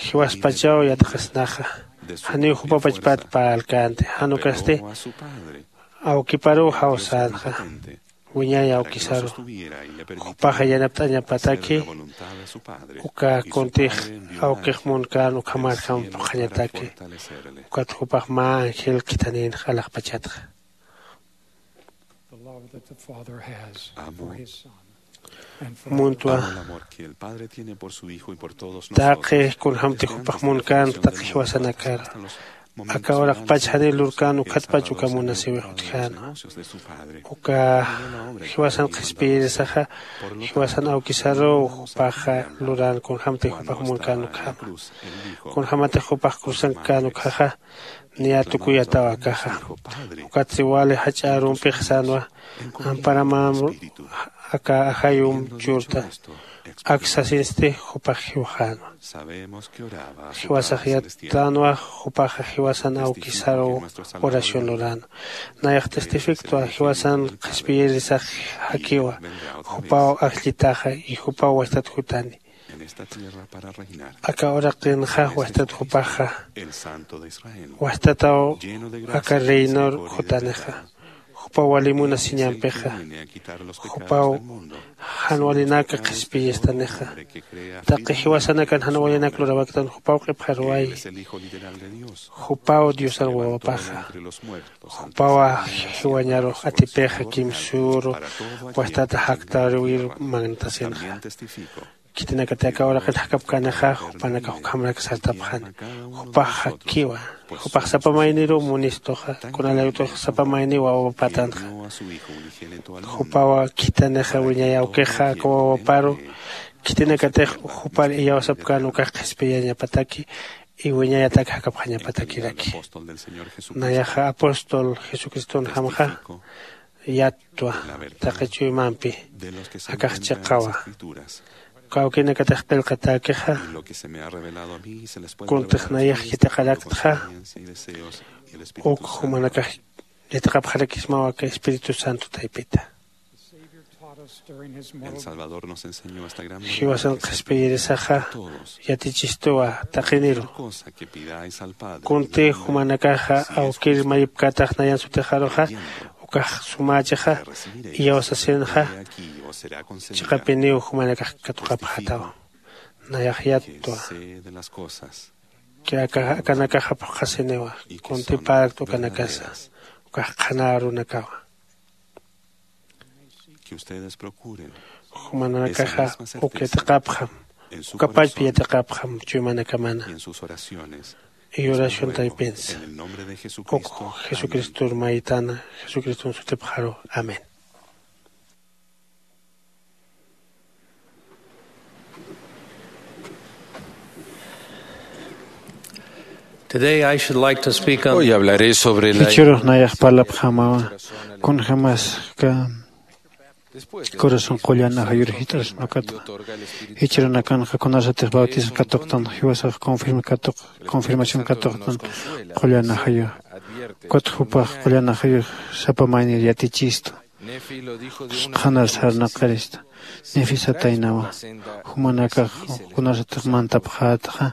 jiwaspachaw yatxasnaxa. Janiw jupapachpat parlkänti jan ukasti awkiparuw jawsänxa. Wiñay awkisaru jupaxa yanapt'añapataki. Uka kuntix awkix munkän ukhamarjam phuqhañataki. Ukat jupax mä angel khithanïnx alaxpachatxa. Muntwa taqi kunjämti jupax munkän taqi jiwasanakar. Aka uraqpach janiw lurkän ukhatpach uka munasiwix utjänwa. Uka jiwasan qhispiyirisaxa jiwasan awkisaruw jupaxa lurän kunjämti jupax munkän ukhama. Kunjämatix jupax cruzankkän ukhaxa niya tukuyataw akaxa. Ukatsi wali jach'a arumpix sänwa amparamam aka ajayum churta. Ak sasinsti jupax jiwxänwa. Jiwasax yattänwa jupaxa jiwasan awkisaruw oración luränwa. Nayax testifiktwa jiwasan qhispiyirisax jakiwa jupaw ajllitaxa y jupaw wachtat jutani. Aka uraqinxa wajtat jupaxa wajtataw aka reinor jutanixa. Jupaw wali munasiñampixa jupaw jan walinaka qhispiyistanixa. Taqi jiwasanakan jan walinak lurawaktan jupaw q'ipxaruwayi. Jupaw diosar wawapaxa. Jupawa jiwañarux atipixa kimsüru wajtata jaktaruwir mangtasinxa. Khitinakati aka uraqin jakapkänixa jupanakax ukhamrak sartapxani. Jupax jakkiwa. Jupax sapa mayniruw munistuxa. Kunalayutux sapa mayniw wawapatanxa. Jupawa khitanixa wiñay awkixa aka wawaparu khitinakatix jupar iyawsapkän ukax qhispiyañapataki. iwiñayatak jakapxañapatakiraki. Nayaxa apóstol jesucriston jamxa yattwa taqi chuymampi akax chiqawa. Kawkinakatix qillqatäkixa kuntix nayax yatiqaraktxa uk jumanakax yatiqapxarakismawa aka espíritu santo taypita. Jiwasan qhispiyirisaxa yatichistuwa taqiniru. Kunti jumanakaxa awkir mayipkätax nayan sutixaruxa ukax sumächixa iyawsasinxa chiqapiniw jumanakax katuqapxätawa. Nayax yattwa akanakaxa phuqhasiniwa. Kunti parakt ukanakasa ukax qhanärunakawa. Jumanakaxa uk yatiqapxam uka pachpa yatiqapxam chuymanakamana y oración taypinsa uk jesucristor maytana jesucriston sutipxaru. Amén. Today I should like to speak on Hoy hablaré sobre la Jichhürux nayax parlapxämawa kunjämas aka corazón qullan ajayur jit'asnukatwa. Jichhürunakanxa kunasatix bautismo katuqtan jiwasax confirma katuq confirmación katuqtan qullan ajayux. Ukatx jupax qullan ajayux sapa maynir yatichistu. Qhanar sarnaqarista nefisataynawa. Jumanakax kunasatix mantapxätxa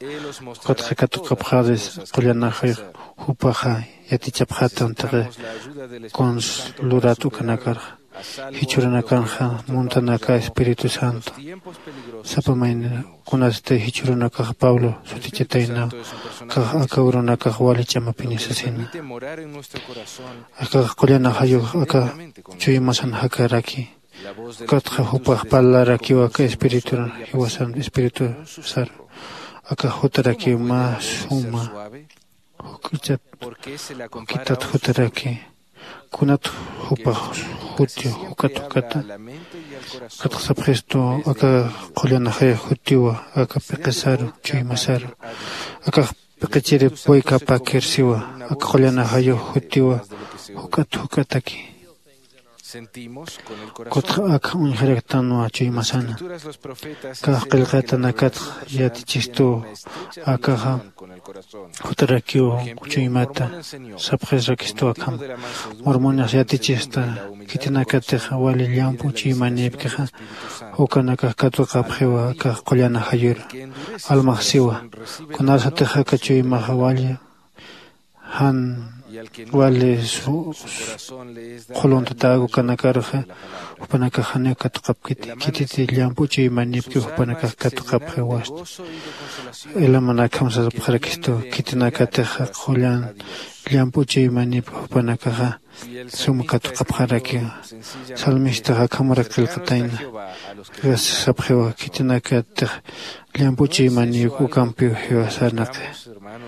ukatxa katuqapxäris qullan ajayux jupaxa yatichapxätan taqi kuns lurat ukanakarxa. Jichhürunakanxa muntanaka espíritu santo sapa mayni kunasti jichhürunakax pablo sutichitaynaw kax aka urunakax wali ch'amapini sasina. Akax qullan ajayux aka chuymasan jakaraki ukatxa jupax parlarakiw aka espiriturun jiwasan espiritu saru. Akax jutarakiw mä suma juk'ichat jukitat jutaraki. Kunat jupax juti juk'at juk'ata ukatxa sapxistu aka qullan ajay jutiwa aka p'iqisaru chuymasaru. Akax p'iqichirip waykapäkir siwa aka qullan ajayux jutiwa juk'at juk'ataki. Ukatxa ak uñjaraktanwa chuymasana. Kax qillqatanakatx yatichistuw akaxa jutarakiw chuymata sapxisrakistuw akham. Mormonix yatichista khitinakatix wali llamp'u chuymanïpkixa ukanakax katuqapxiwa akax qullan ajayur. Almax siwa kunasatix aka chuymaxa wali jan wali qhuluntatäk ukanakaruxa jupanakax janiw katuqapkiti khititi llamp'u chuymanïpki jupanakax katuqapxiwasti. Ilamanakham sarapxarakistu khitinakatixa qullan llamp'u chuymanïpki jupanakaxa sum katuqapxarakiwa. Salmistax akhamarak qillqatayna. Sapxiwa khitinakatix llamp'u chuymanïpki ukampiw jiwasarnaqi.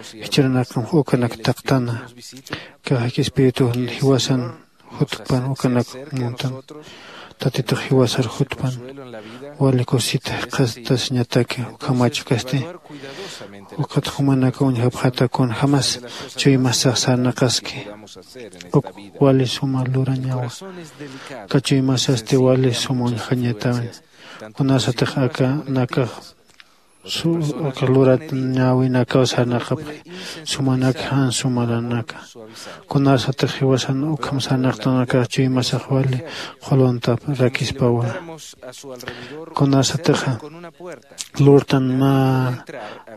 Jichhürunakam ukanak taqtana kaxak espiritu jiwasan jutpan ukanak muntan. Tatitux jiwasar jutpan wali kusita qhastasiñataki ukhamachukasti. Ukat jumanaka uñjapxata kunjämas chuymasax sarnaqaski uk wali suma lurañawa. Aka chuymasasti wali suma uñjañatawi. Kunasatix akanakax aka lurañäwinakaw sarnaqapxi sumanak jan sumaranaka. Kunasatix jiwasan ukham sarnaqtanakax chuymasax wali qhuluntarakispawa. Kunasatixa lurtan mä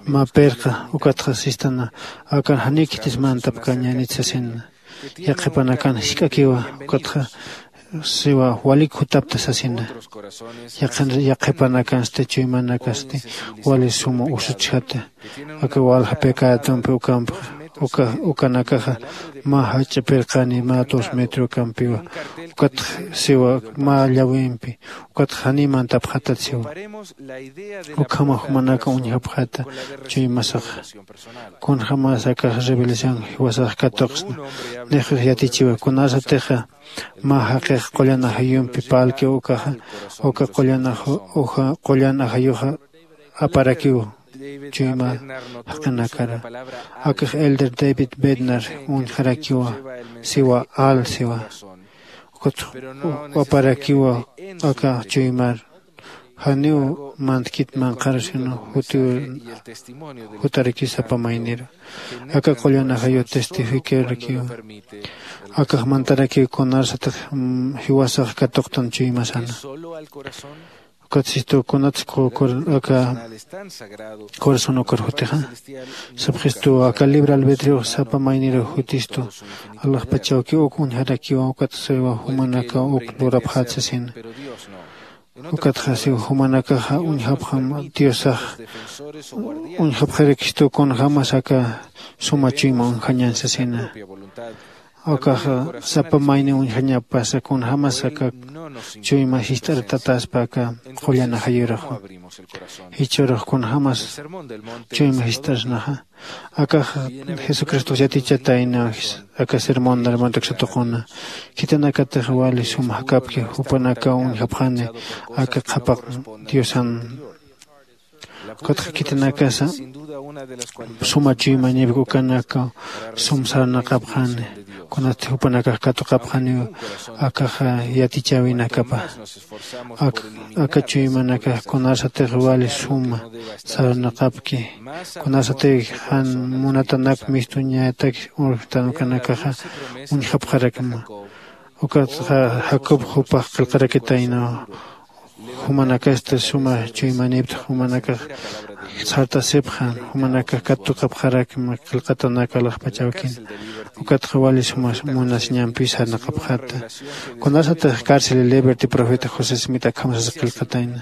mä pirqa ukatxa sistana akan janiw khitis mantapkañänit sasina. Yaqhipanakan jisk'akiwa ukatxa siwa walik jutapta sasina. Yaqhipanakansti chuymanakasti wali suma usutchjata. Aka walja pecadumpi ukampxa ukanakaxa mä jach'a pirqani mä dos metro ukampiwa. Ukatxa siwa mä llawimpi ukatxa janiy mantapxatat siwa. Ukhama jumanaka uñjapxata chuymasaxa. Kunjämas akax revelación jiwasax katuqsna. Nixus yatichiwa kunasatixa mä jaqix qullan ajayumpi parlkiw ukaxa uka qullan ajayuxa aparakiw. chuyma jaqinakara. Akax elder David Bednar uñjarakiwa siwa al siwa. Ukat waparakiwa aka chuymar janiw mantkit manqaru sino jutiw jutarakiw sapa mayniru. Aka qullan ajayu testifiquerakiw akax mantarakiw kunarsatix jiwasax katuqtan chuymasana. Ukat sistu kunatsa aka corazón ukar jutixa sapxistu aka libre albedriox sapa mayniru jutistu. Alaxpachawki uk uñjarakiwa ukat saywa jumanaka uk lurapxat sasina. Ukatxa siw jumanakaxa uñjapxam diosax uñjapxarakistu kunjämas aka suma chuyma uñjañan sasina. Ukaxa sapa mayni uñjañapasa kunjämas aka chuyma jist'artataspa aka qullan ajayuraxa. Jichhürux kunjämas chuyma jist'arsnaxa akax jesucristox yatichatayna aka sermón del monte uksatuquna. Khitinakatix wali sum jakapki jupanakaw uñjapxani aka qhapaq diosan. Ukatxa khitinakasa suma chuymanipki ukanakaw sum sarnaqapxani. Kunatsti jupanakax katuqapxaniw akaxa yatichäwinakapa. Aka chuymanakax kunarsatix wali suma sarnaqapki kunarsatix jan munatanak mistuñatak urjtan ukanakaxa uñjapxarakma. Ukatxa jacob jupax qillqarakitaynaw jumanakasti suma chuymanipta jumanakax sartasipxan jumanakax katuqapxarakma qillqatanak alaxpachawkin. Ukatxa wali suma munasiñampi sarnaqapxata. Kunarsatix cárcel liberty profeta josé smit akham sasa qillqatayna.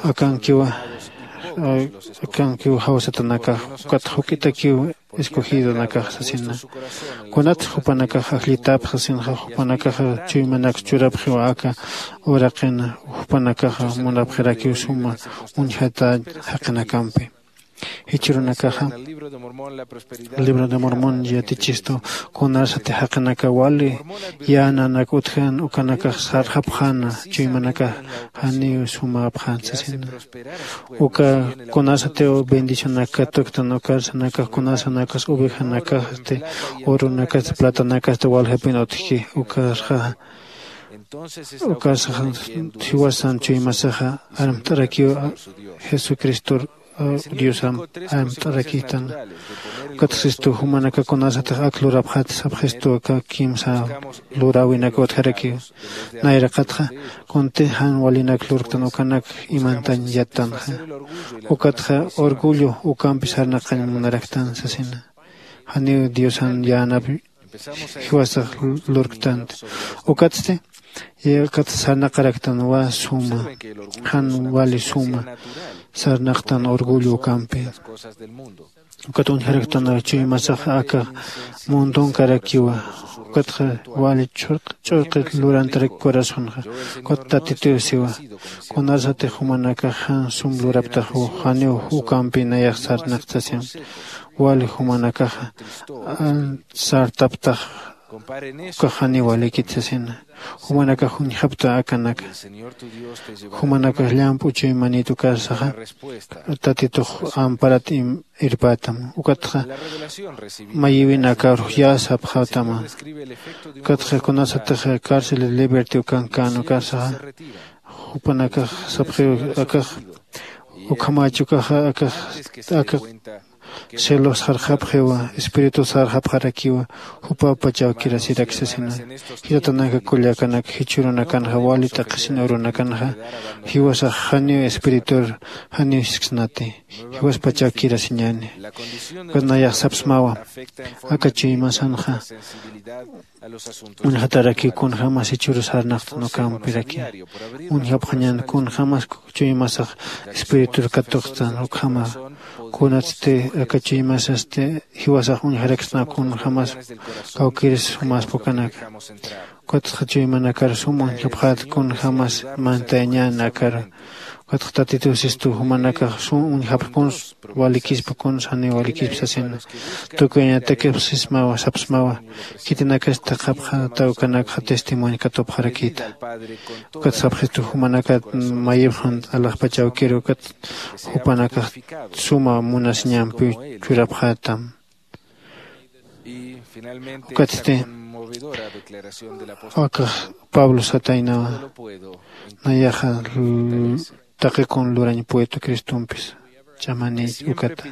Akankiwa akankiw jawsatanakax ukat juk'itakiw escogidonakax sasina. Kunatsa jupanakax ajllitapxa sasinxa jupanakaxa chuymanaks churapxiwa aka uraqina jupanakaxa munapxirakiw suma uñjata jaqinakampi. Jichhürunakaxa libro de mormón yatichistu kunarsati jaqinaka wali yänanak utjan ukanakax sarxapxäna chuymanakax janiw sumäpxän sasina. Uka kunarsatiw bendicionanak katuktan ukarsanakax kunarsanakax ovejanakasti urunakasti platanakasti waljapin utjki ukarxa ukarsaxa jiwasan chuymasaxa armt'arakiw jesucristor diosamp amt'arakïtan. Ukatxa sistu jumanaka kunasatix ak lurapxat sapxistu aka kimsa luräwinak utjarakiw. Nayraqatxa kuntix jan walinak lurktan ukanak imantañ yattanxa. Ukatxa orgullo ukampi sarnaqañ munaraktan sasina. Janiw diosan yänap jiwasax lurktanti. Ukatsti yaqat sarnaqaraktan wa suma jan wali suma sarnaqtan orgullo ukampi. Ukat uñjaraktan chuymasax aka mundonkarakiwa. Ukatxa wali ch'urqi lurantarak corazonxa. Ukat tatituw siwa kunarsatix jumanakax jan sum luraptaxw janiw ukampi nayax sarnaqtasiñ. Wali jumanakaxa sartaptax ukax janiw walikit sasina. Jumanakax uñjapta akanaka jumanakax llamp'u chuymanit ukarsaxa tatitux amparat irpätam. Ukatxa mayiwinakarux yä sapxätama. Ukatxa kunasatix cárcel liberty ukankän ukarsaxa jupanakax sapxiw akax ukhamächi ukaxa akax aka cielos sarxapxiwa espíritu sarxapxarakiwa. Jupapachaw kirasiraksasina. Jitatanaka kullakanaka jichhürunakanxa wali t'aqhisin urunakanxa jiwasax janiw espiritur janiw sisksnati. Jiwaspachaw kirasiñäni. Ukat nayax sapsmawa aka chuymasanxa uñjatarakiw kunjämas jichhürus sarnaqtan ukampiraki. Uñjapxañän kunjämas chuymasax espiritur katuqtan ukhama. Kunatsti aka chuymasasti jiwasax uñjaraksna kunjämas kawkïris sumäspa ukanaka. Ukatxa chuymanakar sum uñjapxät kunjämas mantayañän akaru. Ukatxa Tatitu sistu jumanakax sum uñjapxkuns, walikispa kuns, janiw walikispa sasina. Tukuyañatakipxsismawa, sapsmawa, khitinakasti thaqhapxäta ukanakxa testimonio katupxarakïta. Ukat sapxistu jumanakat mayipxan alaxpach awkiru, ukat jupanakax suma munasiñampi churapxätam. Ukatsti akax Pablo sataynawa, nayaxa taqi kun lurañ puetu Cristumpis ch'amani ukata.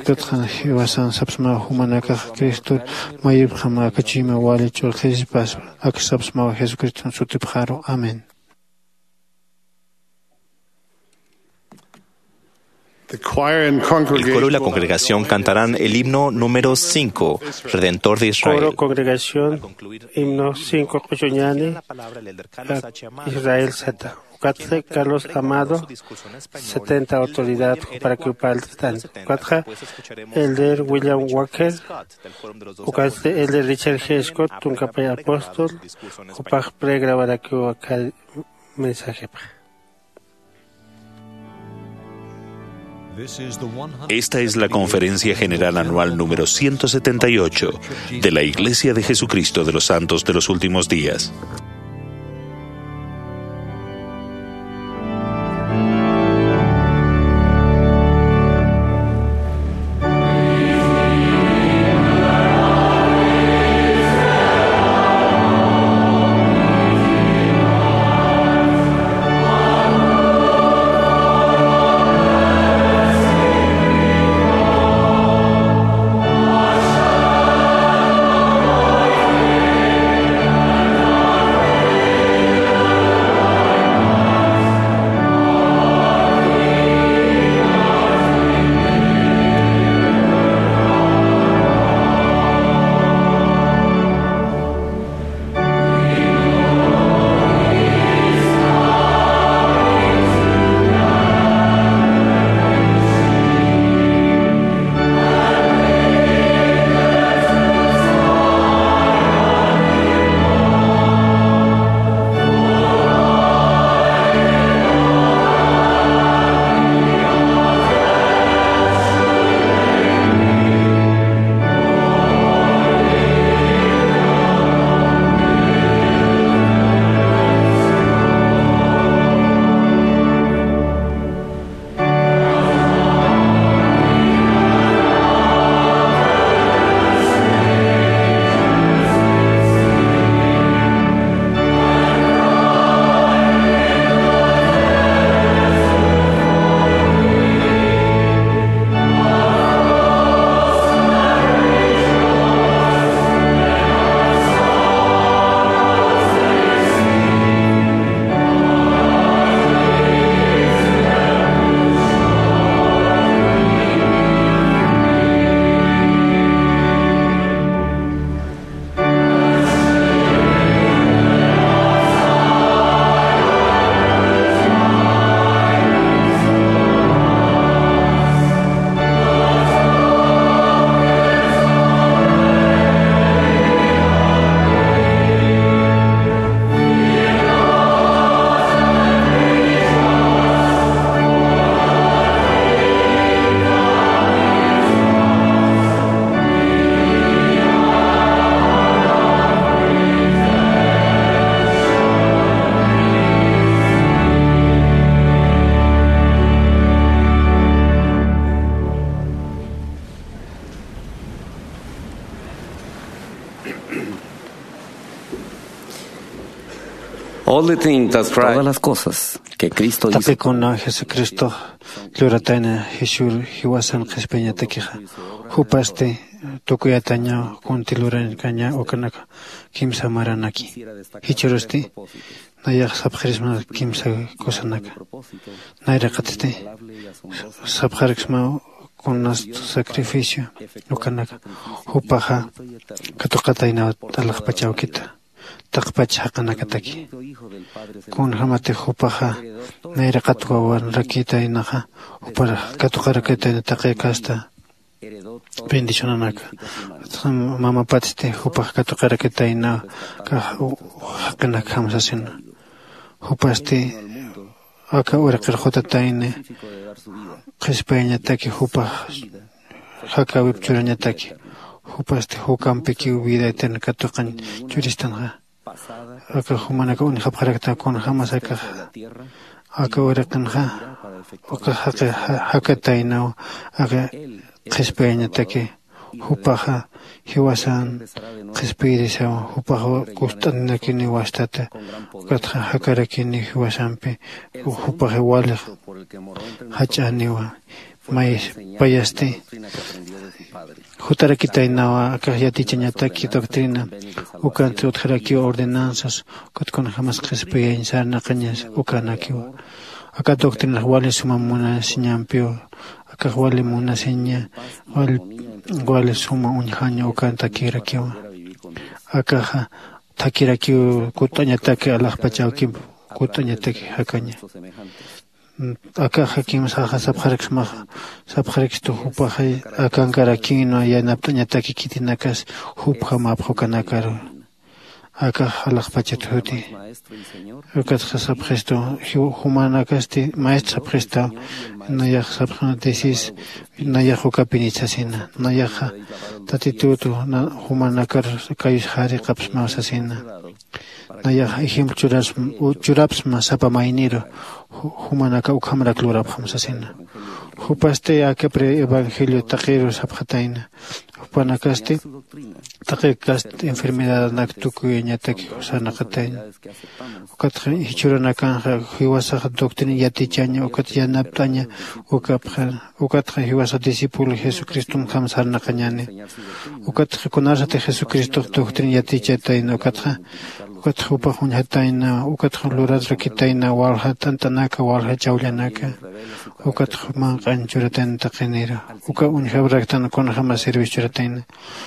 Ukatxa jiwasan sapsmaw jumanakax Cristur mayipxam akachuyma wali ch'ulxispas, ak sapsmaw Jesucriston sutipxaru. Amén. The choir and El coro y la congregation congregación cantarán el himno número cinco, Redentor de Israel. Coro congregación, himno cinco, Q'uchuñani, Israel sata. Ukatxa Carlos Amado, setenta autoridad, para que upaltan. Ukatxa Elder William Walker, ukatxa Elder Richard G. Scott, tunkapay apóstol, jupax pregrabarakiw aka mensajepax. Esta es la Conferencia General Anual número ciento setenta y ocho de la Iglesia de Jesucristo de los Santos de los Últimos Días. All the things that Christ Todas las cosas que Cristo hizo. Taqi kuna Jesucristo luratayna jisur jiwasan qhispiñatakixa, jupasti tukuyataña kunti lurarkaña ukanaka kimsa maranaki. Jichhürusti nayax sapxirisma kimsa cosanaka. Nayraqatsti sapxarksma kunast sacrificio ukanaka. Jupaxa katuqataynaw alaxpach awkita, taqpach jaqinakataki. Kunjämatix jupaxa nayraqat wawanrakïtaynaxa, jupar katuqarakitayna taqi kasta bendicionanaka. Mamapatsti jupax katuqarakitayna kax jaqinakjam sasina. Jupasti Aka uraqir jutatayni qhispayñataki jupax jakawip churañataki. Jupasti jukampikiw vida eterna katuqañ churistanxa. Aka jumanaka uñjapxarakta kunjämas akaxa aka uraqinxa ukax jaqi jakataynaw aka qhispayñataki. Jupaxa jiwasan qhispiyirisaw jupaxa kust'antinakiniw wastata. Ukatxa jakarakiniw jiwasampi jupaxa walix jach'aniwa. May payasti jutarakitaynawa akax yatichañataki doctrina ukanti utjarakiwa ordenanzas. Ukat kunjämas qhispiyañ sarnaqañas ukanakiwa. Aka doctrinax wali suma munasiñampiwa. Akax wali munasiña wali suma uñjaña ukantakirakiwa. Akaxa thakirakiw kut'añataki alaxpach awkimp kut'añataki jakaña. Akaxa kimsaxa sapxaraksmaxa sapxarakistu jupaxa akankarakinwa yanapt'añataki khitinakas jupjamapxa ukanakaru. Akax alaxpachat juti. Ukatxa sapxistu jumanakasti maestro sapxistaw. Nayax sapxna disis nayax ukapinit sasina nayaxa tatitutu jumanakar kayusxari qapsmaw sasina. Nayax ejemplo churapsma sapa mayniru jumanaka ukhamrak lurapxam sasina. Jupasti aka pre evangelio taqiru sapxatayna. Jupanakasti taqi kast enfermedadanak tukuyañataki sarnaqatayna. Ukatxa jichhuranakanxa jiwasax doctrina yatichaña ukat yanapt'aña ukapxan. Ukatxa jiwasax discípulo jesucristomjam sarnaqañani. Ukatxa kunarsati jesucristox doctrina yatichatayna ukatxa ukatxa jupax uñjatayna ukatxa lurarakitayna walja t'ant'anaka walja chawllanaka. Ukatxa manq'añ churatayna taqinira uka uñjawaraktan kunjämas servicio churatayna.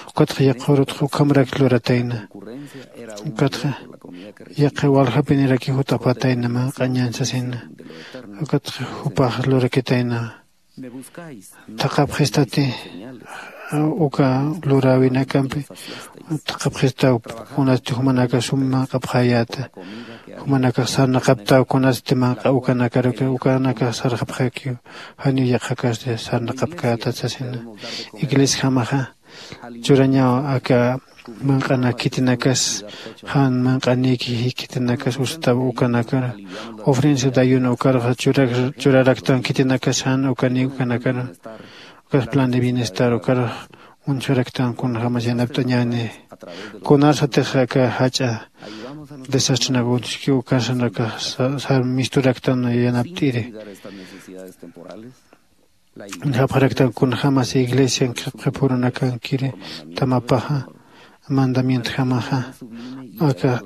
Ukatxa yaqhurutxa ukhamrak luratayna. Ukatxa yaqha waljapiniraki jut'apatayna manq'añan sasina. Ukatxa jupax lurakitayna. Thaqhapxistati uka luräwinakampi thaqhapxistaw kunasti jumanaka sum manq'apxäyäta. Jumanakax sarnaqaptaw kunasti manq'a ukanakaruki ukanakax sarxapxakiw. Janiw yaqhakasti sarnaqapkätat sasina. Iglesiajamaxa churañaw aka manq'anak khitinakas jan manq'anïki khitinakas usutab ukanakar ofrensa dayuna ukarxa churaraktan khitinakas jan ukanïk ukanakar. Ukas plan de bienestar ukarx uñjaraktan kunjämas yanapt'añäni. Kunarsatix aka jach'a desastrenak uñski ukarsanakax misturaktan yanapt'iri. Japxaraktan kunjämas iglesian qhipqipurunakankiri tamapaxa mandamientjamaxa aka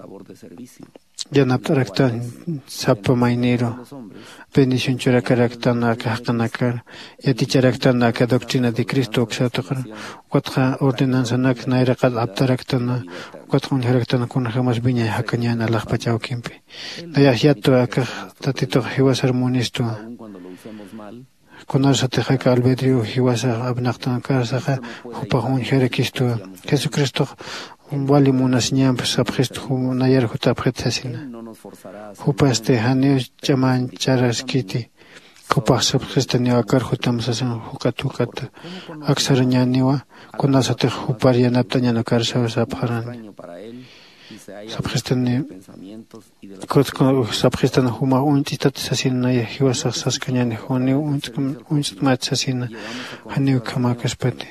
yanapt'araktan sapa mayniru bendición churakaraktan aka jaqinakar yaticharaktan aka doctrina de cristo uksatuqar ukatxa ordenanzanak nayraqat aptaraktan ukatxa uñjaraktan kunjämas wiñay jakañän alaxpach awkimpi. Nayax yatwa akax tatitux jiwasar munistwa. Kunarsatix aka albedrio jiwasax apnaqtan ukarsaxa jupax uñjarakistwa. Jesucristox wali munasiñamp sapxistu nayar jutapxit sasina. Jupasti janiw ch'amancharaskiti. Jupax sapxistaniw akar jutam sasin juk'at juk'ata aksarañäniwa. Kunarsatix jupar yanapt'añan ukarsaw sapxarani. Sapxistani sapxistan jumax uñt'istat sasina naya jiwasax saskañäni juniw uñt'mat sasina. Janiw khamäkaspati.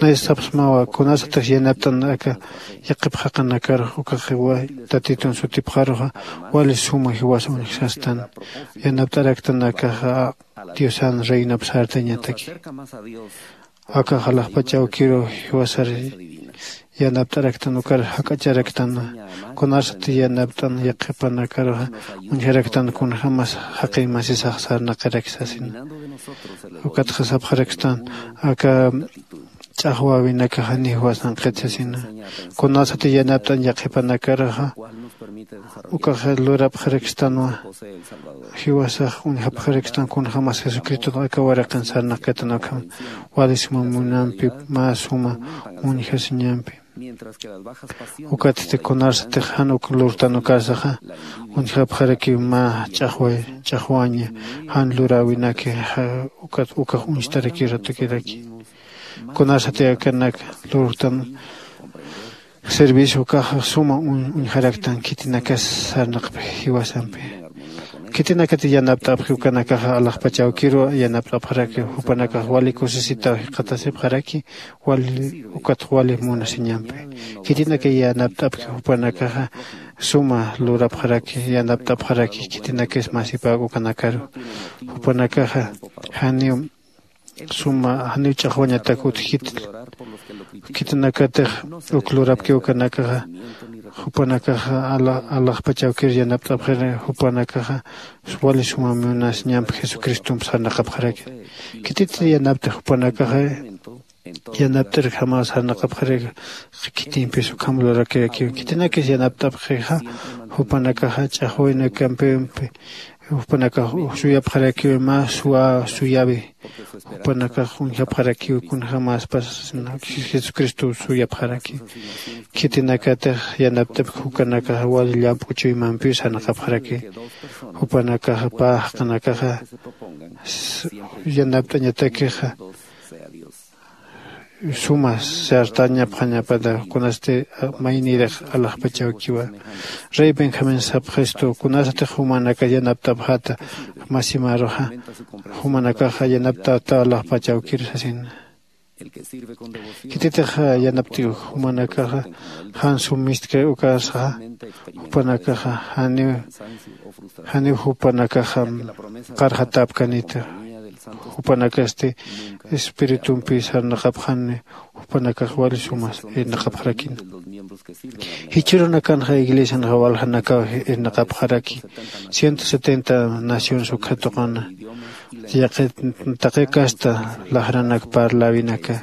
Nay sapxsmawa kunasatix yanapt'an aka yaqhip jaqinakarux ukaxiwa tatitun sutipxaruxa wali suma jiwas uñjsastan. Yanapt'araktan akaxa diosan reinap sartañataki. Akax alaxpach awkiru jiwasar yanapt'araktan ukar jak'acharaktan. Kunarsati yanapt'an yaqhipanakaruxa uñjaraktan kunjämas jaqin masisax sarnaqiraki sasina. Ukatxa sapxarakstan aka ch'axwäwinakax janiw jiwasanqit sasina. Kunarsati yanapt'an yaqhipanakaruxa ukax lurapxarakstanwa. Jiwasax uñjapxarakstan kunjämas jesucristot aka waraqin sarnaqkatan ukham wali suma munampi mä suma uñjasiñampi. Ukatsti kunarsatix jan uk lurtan ukarsaxa, uñjapxarakiw mä ch'axway ch'axwaña jan luräwinaki, ukat ukax uñstarakiw ratukiraki. Kunarsati akanak lurtan servicio ukaxa suma uñjaraktan khitinakas sarnaqpi jiwasampi. Khitinakati yanapt'apxi ukanakaxa alaxpachawkiru yanapt'apxaraki. Jupanakax wali kusisitaw jikxatasipxaraki wali ukat wali munasiñampi. Khitinakay yanapt'apxi jupanakaxa suma lurapxaraki yanapt'apxaraki khitinakis masipäk ukanakaru. Jupanakaxa janiw suma janiw ch'axwañatak utjkit. Khitinakatix uk lurapki ukanakaxa jupanakaxa alaxpachawkir yanapt'apxir jupanakaxa wali suma munasiñampi jesucristomp sarnaqapxaraki. Khitit yanaptix jupanakaxa yanapt'irjamaw sarnaqapxaraki. Khitimpis ukham lurakirakiw khitinakis yanapt'apxixa jupanakaxa ch'axwaynakampi jupanakax suyapxarakiw mä suwa suyawi. Jupanakax uñjapxarakiw kunjämaspas jesucristo suyapxaraki. Khitinakatix yanapt'apki jukanakax wali llamp'u chuymampiw sarnaqapxaraki. Jupanakaxa pä jaqinakaxa yanapt'añatakixa suma sartañapxañapata kunasti maynirix alaxpachawkiwa. Rey benjamín sapxistu kunasatix jumanakas yanapt'apxäta masimaruxa jumanakaxa yanapt'ata alaxpachawkir sasina. Khititix yanapt'iw jumanakaxa jan sumistki ukarsaxa jupanakaxa janiw janiw jupanakaxa qarxatäpkanita. Jupanakasti espiritumpi sarnaqapxani jupanakax wali sumas irnaqapxarakina. Jichhürunakanxa iglesianxa waljanakaw irnaqapxaraki. Ciento setenta naciones ukkha tuqana yaqi taqi kasta laxranak parläwinaka.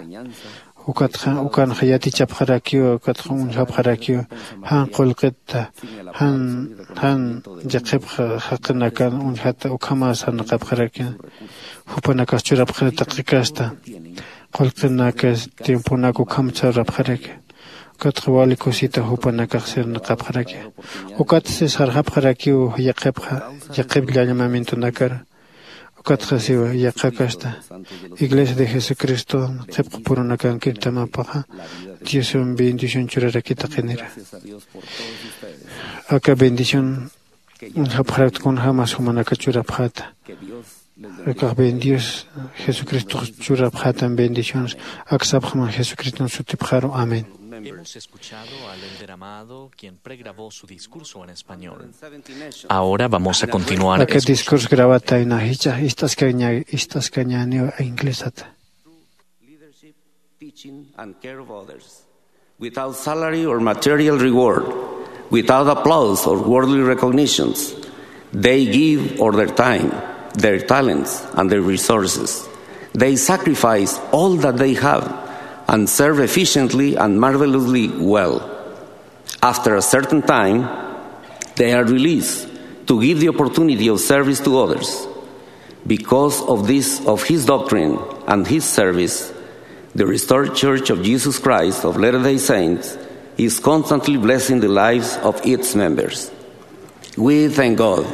Ukatxa ukanxa yatichapxarakiw ukatxa uñjapxarakiw jan qullqita jan jan yaqhipxa jaqinakan uñjata ukhama sarnaqapxaraki. Jupanakas churapxara taqi kasta qullqinakas tiemponak ukham churapxaraki. Ukatxa wali kusita jupanakax sarnaqapxaraki. Ukatsi sarxapxarakiw yaqhipxa yaqhip llañamientonakar. Ukatxa siwa yaqha kasta iglesia de jesucristo qhipqa purunakankir tamapaxa diosan bendición churarakitaqinira. Aka bendición uñjapxarakta kunjämas jumanaka churapxäta. Akax bendios jesucristox churapxätan bendiciones aksapxman jesucriston sutipxaru. Amén. Hemos escuchado al elder Amado, quien pregrabó su discurso en español. Ahora vamos a continuar. Aka discurso grabatayna jichha ist'askaña ist'askañaniw inglesata. Leadership, teaching, and care of others. Without salary or material reward, without applause or worldly recognitions, they give of their time, their talents, and their resources. They sacrifice all that they have and serve efficiently and marvelously well. After a certain time, they are released to give the opportunity of service to others. Because of this, of his doctrine and his service, the Restored Church of Jesus Christ of Latter-day Saints is constantly blessing the lives of its members. We thank God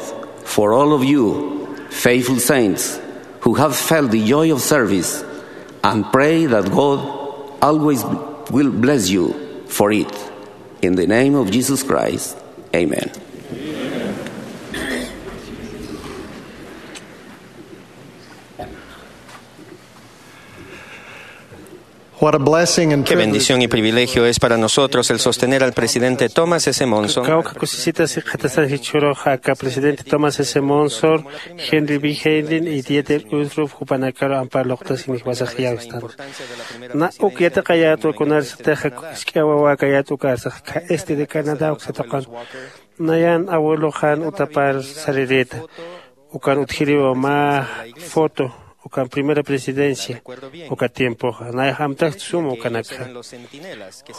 for all of you, faithful saints, who have felt the joy of service and pray that God always will bless you for it. In the name of Jesus Christ, amen. What a blessing and privilege. Qué bendición y privilegio es para nosotros el sostener al presidente Thomas S. Monson. Kawka kusisita sikxatasan jichhüruxa aka presidente Thomas S. Monson, Henry B. Henlin y Dieter Uchtdorf jupanakaru ampar luqtasin jiwasax yäwistan. Na uk yatiqayätwa kunarsatixa jisk'a wawäkayät ukarsax este de Canadá uksa tuqan. Nayan abueloxan utapar sarirïta. Ukan utjiriwa mä foto ukan primera presidencia uka tiempoxa nayax amtax suma ukanakxa.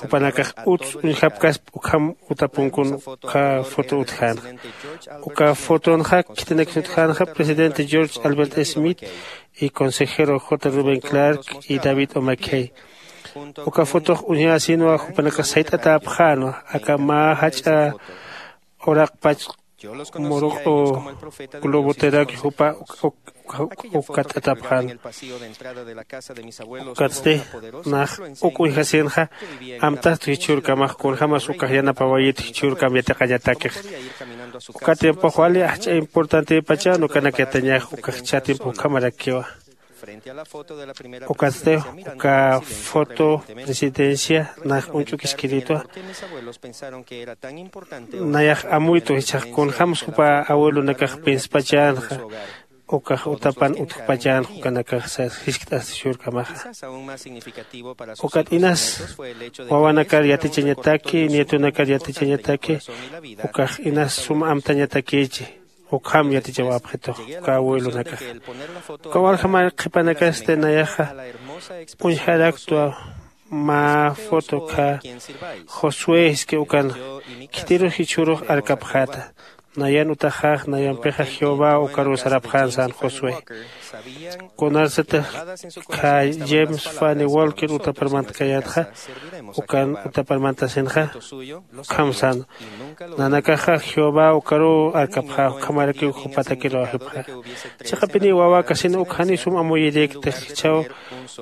Jupanakax uts uñjapkasp ukham utapunkun uka foto utjänxa. Uka fotonxa khitinakis utjänxa presidente George Albert Smith y consejero J. Rubén Clark y David O. McKay. Uka fotox uñjäsinwa jupanakax sayt'atäpxänwa aka mä jach'a uraqpach muruq globoteraki jupa ukat'atapxän. Ukatsti nax uk uñjasinxa amtastu jichhürkamax kunjämas ukax yanapawayit jichhürkam yatiqañatakix. Uka tiempox wali ajch'a importantipachan ukanak yatiñax uka jichha tiempo ukhamarakiwa. Ukatsti uka foto presidencia nax uñch'ukiskiritwa. Nayax amuytu jichhax kunjämsa jupa abuelonakax pinspachänxa ukax utapan utjpachänxa ukanakax sas jiskt'asti jichhürkamaxa. Ukat inas wawanakar yatichañataki nietonakar yatichañataki ukax inas suma amtañatakichi. Ukham yatichawapxitux uka abuelonakaxa. Uka waljamar qhipanakasti nayaxa uñjaraktwa mä foto kha josué jiski ukan khitirus jichhürux arkapxäta. Nayan utaxax nayampixa jehová ukaruw sarapxän sän josué. Kunarsatix kha james fanny walker utaparmantkayätxa ukan utaparmantasinxa ukham sän. Nanakaxa jehová ukaruw arkapxä ukhamarakiw jupatakiruw ajipxä. Chiqapiniw wawäkasina uk janiw sum amuyirïktix jichhaw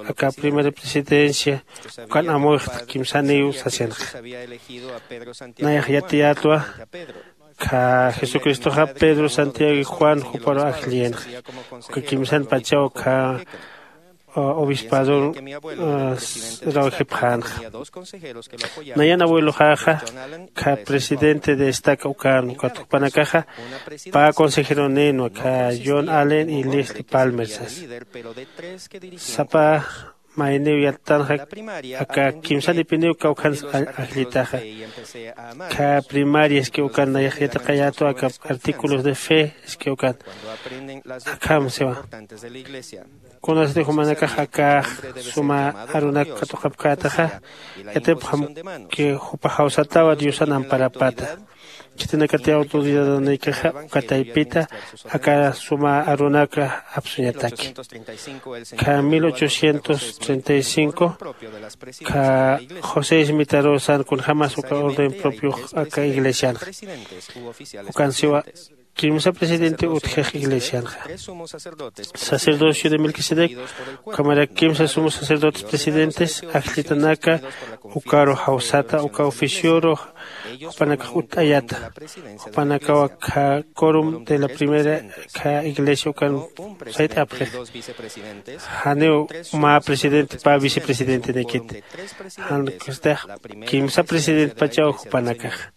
aka primera presidencia ukan amuyxtx kimsaniw sasinxa. Nayax yatiyätwa kha jesucristoxa pedro santiago y juan juparuw ajllïnxa. Uka kimsanpachaw kha obispador rawjipxänxa. Nayan abueloxäxa kha presidente de estaca ukan ukat jupanakaxa pä consejeronïnwa kha john allen y leslie palmer sas. Sapa mayniw yattanxa aka kimsanipiniw kawkhans ajllitaxa. Kha primaria iski ukan nayax yatiqayätwa aka artículos de fe iski ukan akham siwa. Kunasti jumanakax akax suma arunak katuqapkätaxa yatipxam que jupa jawsatawa diosan amparapata. Khitinakati autoridadanïkaxa uka taypita aka suma arunaka apsuñataki. Kha mil ochocientos treinta y cinco kha josé ismitaruw sän kunjämas uka orden propiox aka iglesianxa. Ukan siwa kimsa presidente utjix iglesianxa. Sacerdocio de melquisedec ukhamarak kimsa sumu sacerdotes presidentes ajllitanaka ukaru jawsata uka oficioru jupanakax utt'ayata. Jupanakaw akha corum de la primera kha iglesia ukan sayt'apxix. Janiw mä presidente pä vicepresidentenikit. Jan kastix kimsa presidentpachaw jupanakaxa.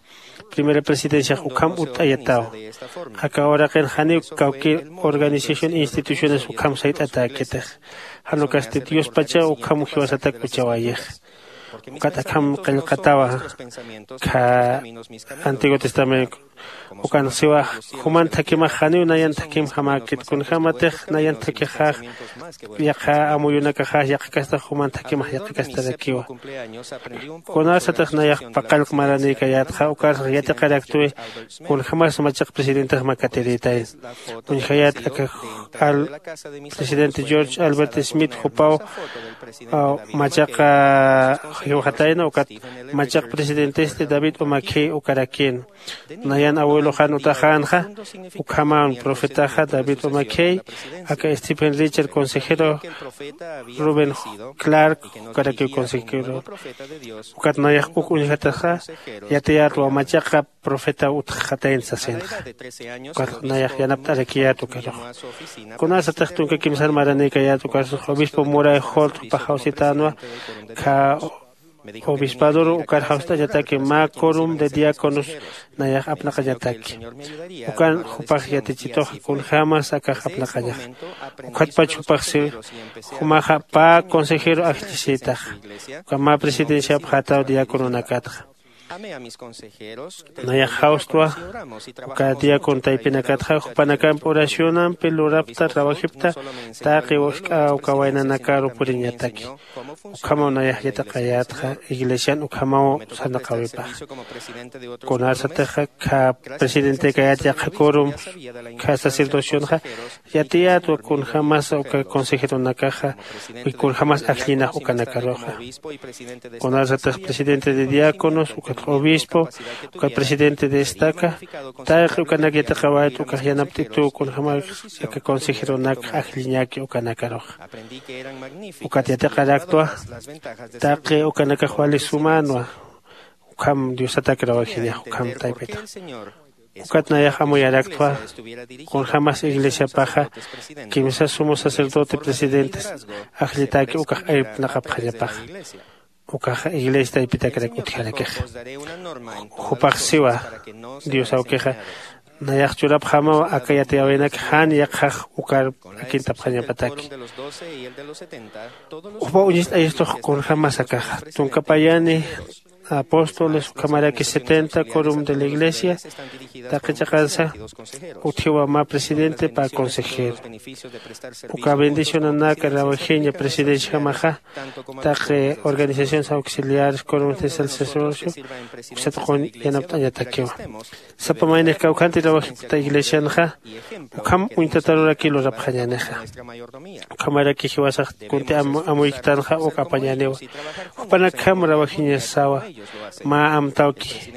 Primera presidenciax ukham utt'ayataw. Aka uraqin janiw kawkir organización instituciones ukham sayt'atäkitix. Jan ukasti diospachaw ukham jiwasatak uchawayix. Ukat akham qillqatawa kha antiguo testamento. Ukan siwax juman thakhimax janiw nayan thakhimjamäkit kunjämatix nayan thakhixax yaqha amuyunakaxax yaqhakastax juman thakhimax yaqhakastarakiwa. Kunasatix nayax paqallq maranïkayätxa ukarsax yatiqaraktwi kunjämas machaq presidentex makatirïtay. Uñjayät aka presidente george albert smith jupaw machaqa jiwxatayna ukat machaq presidentesti david umakhi ukarakïn. Nayan abueloxan utaxänxa ukhaman profetaxa david umakhi aka stephen richard consejero rubén clark ukarakiw consejero. Ukat nayax uk uñjataxa yatiyätwa machaqa profeta utxxatayn sasinxa. Ukat nayax yanapt'arakiyät ukarux. Kunasatix tunka kimsan maranïkayät ukarsax obispo muray holt jupax jawsitänwa kha obispadoru ukar jawst'añataki mä corum de diáconos nayax apnaqañataki. Ukan jupax yatichituxa kunjämas akax apnaqañaxa. Ukhatpach jupax si jumaxa pä consejero ajllisïtaxa. Uka mä presidenciapxätaw diácononakatxa. Nayax jawstwa uka diácono taypinakatxa jupanakampi oracionampi lurapta rawajipta taqi usk'a uka waynanakaru puriñataki. Ukhamaw nayax yatiqayätxa iglesian ukhamaw sarnaqäwipaxa. Kunarsatixa kha presidente kayät yaqha quorum kha sacerdocionxa yatiyätwa kunjämasa uka consejeronakaxa kunjämas ajllinax ukanakaruxa. Kunarsatix presidente de diáconos ukat obispo ukat presidente de estaca taqi ukanak yatiqawayt ukax yanapt'ituw kunjämas aka consejeronak ajlliñaki ukanakaruxa. Ukat yatiqaraktwa taqi ukanakax wali sumänwa. Ukham diosatak rawajinixa ukham taypitax. Ukat nayax amuyaraktwa kunjämas iglesiapaxa kimsa sumo sacerdote presidentes ajllitaki ukax irpnaqapxañapaxa. Ukaxa iglesia taypitakrak utjarakixa. Jupax siwa dios awkixa nayax churapxamaw aka yatiyäwinak jan yaqhax ukar akintapxañapataki. Jupaw uñist'ayistux kunjämas akaxa tunka payani apóstoles ukhamaraki setenta quorum de la iglesia taqi chiqansa utjiwa mä presidente pä consejero. Uka bendicionanak rawajiña presidenciajamaxa taqi organizaciones auxiliares quorum de sacerdocio uksat qun yanapt'añatakiwa. Sapa maynix kawkhanti rawajipkta iglesianxa ukham uñtataruraki lurapxañänixa. Ukhamaraki jiwasax kunti amuyktanxa uk apañäniwa. Jupanakjam rawajiñasawa mä amtawki.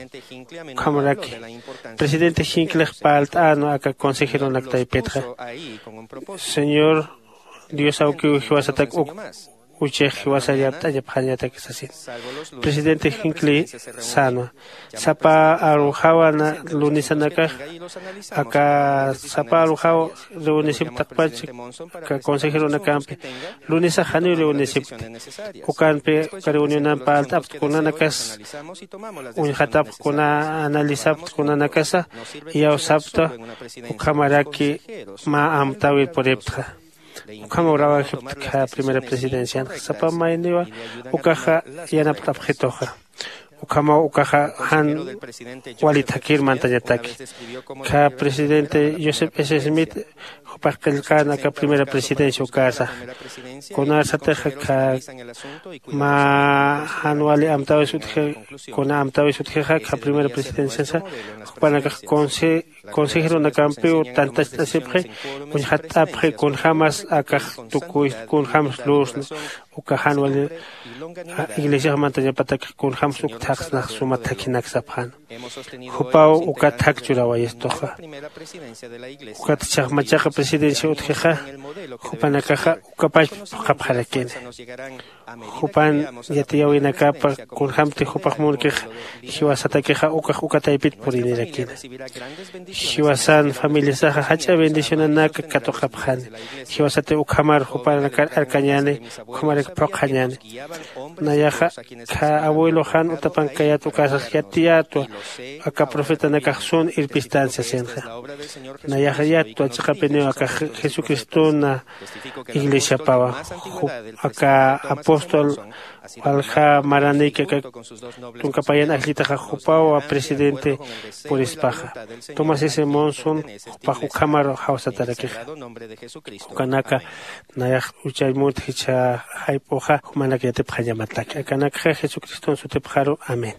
Ukhamaraki presidente jinklix parlt'änwa aka consejeronak taypitxa. Señor dios awkiw jiwasatak uk uchix jiwasar yapt'añapxañatak sasin. Presidente jinkli sänwa sapa arujawa lunisanakax aka sapa arujaw reunisiw taqpach aka consejeronakampi lunisax janiw reunisipt. Ukanpi uka reunionampi parlt'apt kunanakas uñjatapx kuna analizapt kunanakasa iyawsapta ukhamaraki mä amtäwir puriptxa. Ukhamaw rawajiptkha primera presidencianxa sapa mayniwa ukaxa yanapt'apxituxa. Ukhamaw ukaxa jan wali thakir mantañataki. Kha presidente joseph s smith jupax qillqän aka primera presidencia ukasa kunarsatixa kha mä jan wali amtäwis utji kuna amtäwis utjixa kha primera presidenciansa jupanakax consejeronakampiw tantacht'asipxi uñjatt'apxi kunjämas akax tukuy kunjämsa lursna uka jan wali iglesiax mantañapatakix kunjämsa uk thaqsnax suma thakhinak sapxäna. Jupaw ukat thak churawayistuxa. Ukat jichhax machaqa presidencia utjixa jupanakaxa ukapach phuqhapxarakini. Jupan yatiyäwinakapa kunjämti jupax munkixa jiwasatakixa ukax uka taypit purinirakina. Jiwasan familiasaxa jach'a bendicionanaka katuqapxani. Jiwasatiw ukhamar jupanakar arkañäni ukhamarak phuqhañäni. Nayaxa kha abueloxan utapankayät ukasax yatiyätwa aka profetanakax sun irpistancia sinxa. Nayaxa yatwa chiqapiniw aka jesucristona iglesiapawa. Aka apóstol walja maraniki aka tunka payan ajllitaxa jupawa presidente purispaxa. Tomás s monson jupax ukhamar jawsatarakixa. Ukanaka nayax uchay munta jichha jayp'uxa jumanak yatipxañamataki akanakxa jesucriston sutipxaru. Amén.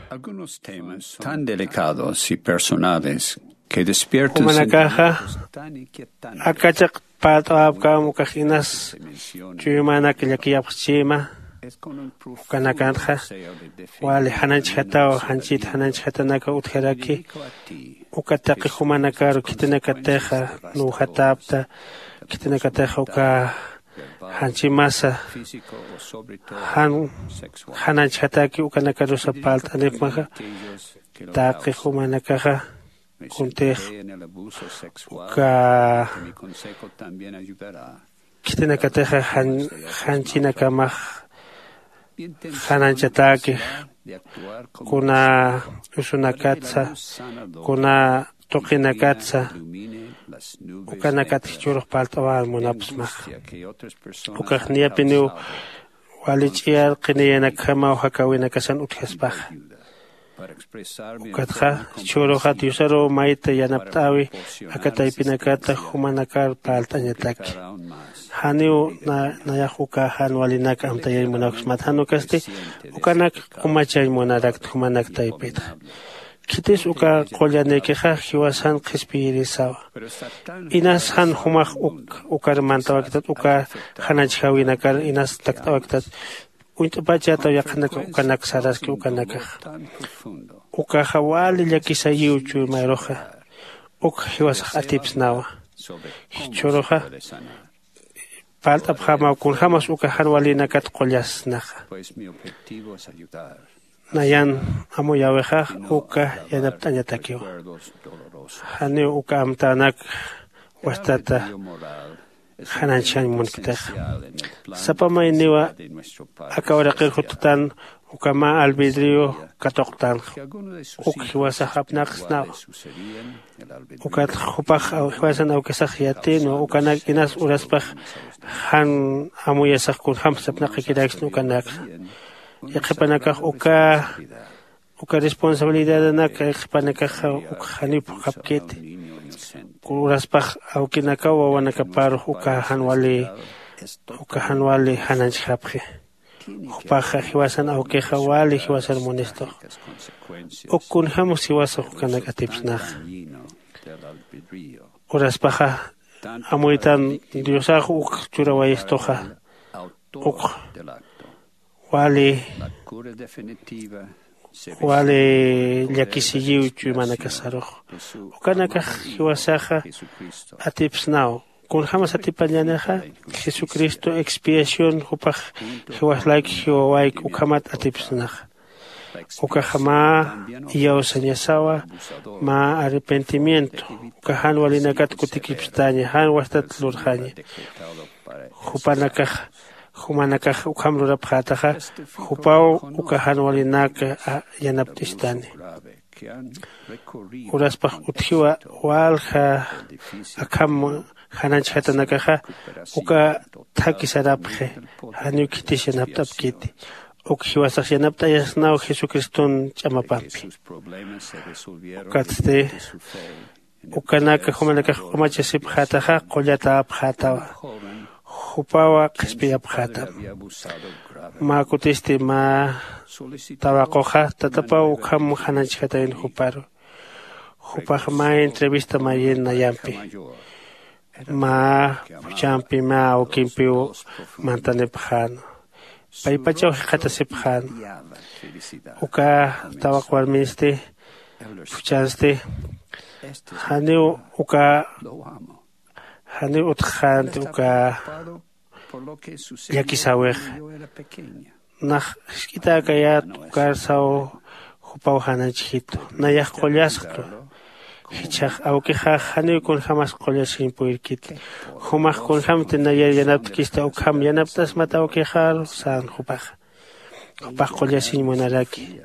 Algunos temas tan delicados y personales que despiertan jumanakaxa sentimientos tan inquietantes. Akachaq parlt'awapkam ukax inas chuymanak llakiyapxchima. Ukanakanxa wali jananchjataw janchit jananchjatanaka utjaraki. Uka taqi jumanakaru khitinakatixa nuwjatapta khitinakatixa uka janchimasa jan jananchjataki ukanakarusa parlt'anipmaxa. Taqi jumanakaxa kuntix uka khitinakatixa janchinakamax jananchatäkix kuna usunakatsa kuna tuqinakatsa ukanakatix churux parlt'awän munapsmaxa. Ukax niyapiniw wali ch'iyar qiniyanakjamaw jakäwinakasan utjaspaxa. Ukatxa chhuruxa diosaruw mayta yanapt'äwi aka taypinakata jumanakar parlt'añataki. Janiw nayax uka jan walinak amtayañ munawksmat jan ukasti ukanak umachañ munarakta jumanak taypitxa. Khitis uka qullanïkixa jiwasan qhispiyirisawa. Inas jan jumax uk ukar mantawaktat uka jananchjäwinakar inas takt'awaktat. Uñt'apachätaw yaqhanaka ukanak saraski ukanakaxa. Ukaxa wali llakisayiw chuymaruxa. Uk jiwasax atipsnawa. Jichhüruxa parlt'apxämaw kunjämas uka jan walïnakat qullasnaxa. Nayan amuyäwixax uka yanapt'añatakiwa. Janiw uka amtänak wastata jananchjañ munktixa. Sapa mayniwa aka uraqir juttan uka mä albedrío katuqtanxa. Uk jiwasax apnaqsnawa. Ukat jupax jiwasan awkisax yatïnwa ukanak inas uraspax jan amuyasax kunjämsa apnaqakiraksna ukanakxa. Yaqhipanakax uka uka responsabilidadanaka yaqhipanakaxa uk janiw phuqhapkiti. Uraspax awkinakaw wawanakaparux uka jan wali uka jan wali jananchjapxi. Jupaxa jiwasan awkixa wali jiwasan munistux. Uk kunjämas jiwasax ukanak atipsnaxa. Uraspaxa amuytan diosax uk churawayistuxa. Uk wali wali llakisiyiw chuymanakasarux. Ukanakax jiwasaxa atipsnaw. Kunjämas atipañänixa jesucristo expiación jupax jiwas layku jiwawayku ukhamat atipsnaxa. Ukaxa mä iyawsañasawa mä arrepentimiento uka jan walinakat kutikipstaña jan wastat lurxaña. Jupanakax jumanakax ukham lurapxätaxa jupaw uka jan walinaka yanapt'istani. Uraspax utjiwa walja akham jananchjatanakaxa uka thakhi sarapxi. Janiw khitis yanapt'apkiti. Uk jiwasax yanapt'ayasnaw jesucriston ch'amapampi. Ukatsti ukanak jumanakax q'umachasipxätaxa qullatäpxätawa. Jupawa qhispiyapxätam. Mä kutisti mä tawaquxa tatapaw ukham jananchjatayun juparu. Jupax mä entrevista mayin nayampi mä phuchhampi mä awkimpiw mantanipxän. Paypachaw jikxatasipxän. Uka tawaq warminsti phuchhansti janiw uka janiw utjxänti uka llakisäwix. Nax jisk'itäkayät ukar saw jupaw jananchjitu nayax qullasktu. Jichhax awkixax janiw kunjämas qullasiñ purirkiti. Jumax kunjämti nayar yanaptkista ukham yanapt'asmat awkixaru sän jupaxa. Jupax qullasiñ munaraki.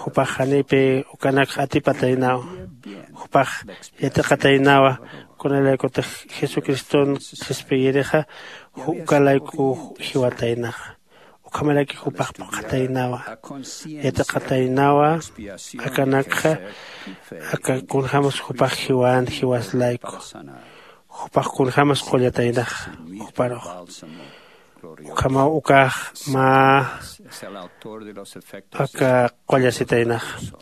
Jupax janipï ukanakx atipataynawa. Jupax yatiqataynawa kunalaykutix jesucriston qhispiyirixa ukalayku jiwataynaxa. Ukhamaraki jupax phuqhataynawa yatiqataynawa. Akanakxa aka kunjämas jupax jiwän jiwas layku. Jupax kunjämas qullataynaxa juparux. Ukhamaw ukax mä aka qullasitaynaxa.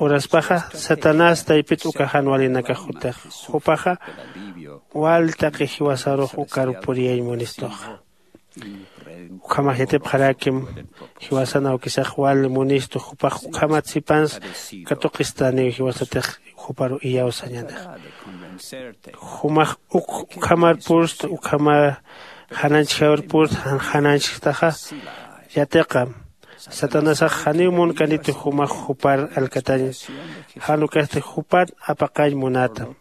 Uraspaxa satanás taypit uka jan walinakax jutix. Jupaxa wal taqi jiwasarux ukar puriyañ munistuxa. Ukhamax yatipxarakim jiwasan awkisax wal munistu jupax ukhamat sipans katuqistaniw jiwasatix juparu iyawsañanix. Jumax uk ukhamar purst ukhamar jananchjawir purst jananchjtaxa. Yatiqam satanasax janiw munkanitu jumax jupar alkatañ. Jan ukasti jupan apaqañ munatam.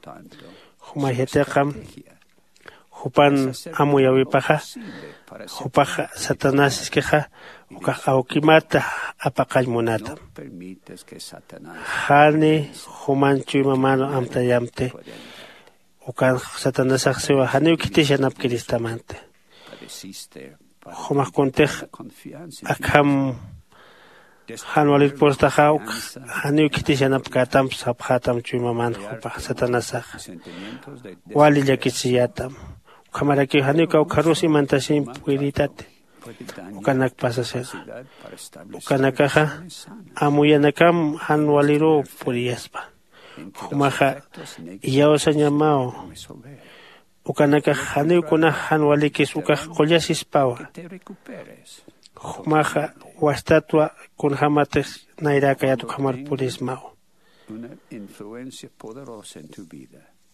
Jumay yatiqam jupan amuyäwipaxa jupax satanás iskixa ukax awkimata apaqañ munatam. Jani juman chuymamanu amtayamti. Ukan satanasax siwa janiw khitis yanapkiristamanti. Jumax kuntix akham jan walir pustaxa uk janiw khitis yanapkätamp sapxätam chuymaman jupax satanasaxa wali llakisiyätam. Ukhamarakiw janiw kawkharus imantasiñ puyritati ukanak pasasina. Ukanakaxa amuyanakam jan waliruw puriyaspa. Jumaxa iyawsañamaw. Ukanakax janiw kunax jan walikis ukax qullasispawa. Jumaxa wastatwa kunjämatix nayräkayät ukhamar purismaw.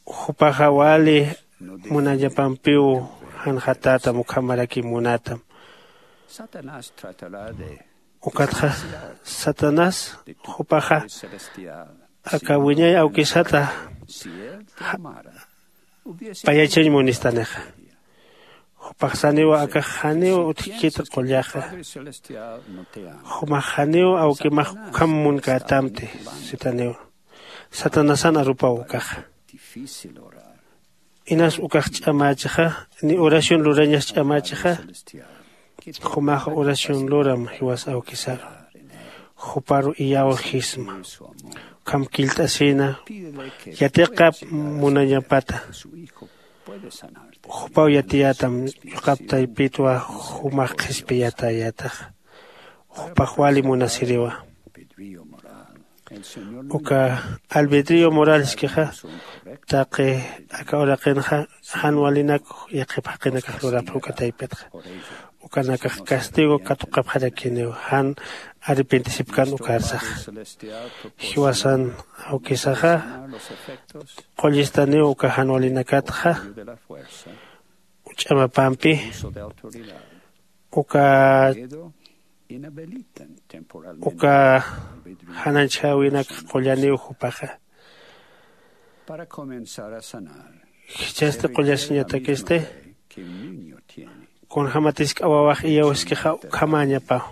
Jupaxa wali munañapampiw janxatätam ukhamaraki munatam. Ukatxa satanás jupaxa aka wiñay awkisata payachañ munistanixa. Jupax saniwa akax janiw utjkit qullaxa. Jumax janiw awkimax ukham munkätamti sitaniwa. Satanasan arupaw ukaxa. Inas ukax ch'amächixa ni oración lurañas ch'amächixa. Jumax oración luram jiwas awkisaru. Juparu iyawxisma. Ukham killt'asina yatiqap munañapata. Jupaw yatiyätam yuqap taypitwa jumax qhispiyatayätaxa. Jupax wali munasiriwa. Uka albedrío moraleskixa taqi aka uraqinxa jan walinak yaqhip jaqinakax lurapxa uka taypitxa. Ukanakax castigo katuqapxarakiniw jan arrepentisipkan ukarsaxa. Jiwasan awkisaxa qullistaniw uka jan walinakatxa ch'amapampi uka uka jananchäwinak qullaniw jupaxa. Jichhasti qullasiñatakisti kunjämatis k'awawax iyawskixa ukhamäñapaw.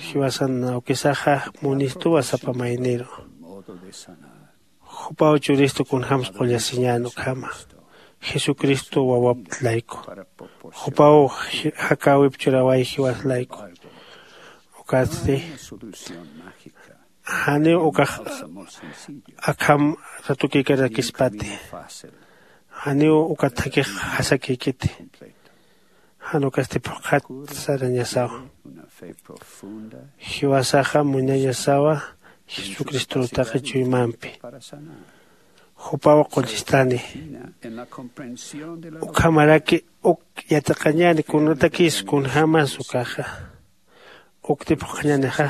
Jiwasan awkisaxa munistuwa sapa mayniru. Jupaw churistu kunjämsa qullasiñän ukhama jesucristo wawap layku. Jupaw jakäwip churaway jiwas layku. Ukatsti janiw ukax akham ratukïkarakispati. Janiw ukat jakix jasakïkiti. Jan ukasti phuqhat sarañasawa. Jiwasaxa muñañasawa jesucristor taqi chuymampi. Jupaw qullistani ukhamaraki uk yatiqañäni kunatakis kunjämas ukaxa. Ukti phuqhañänixa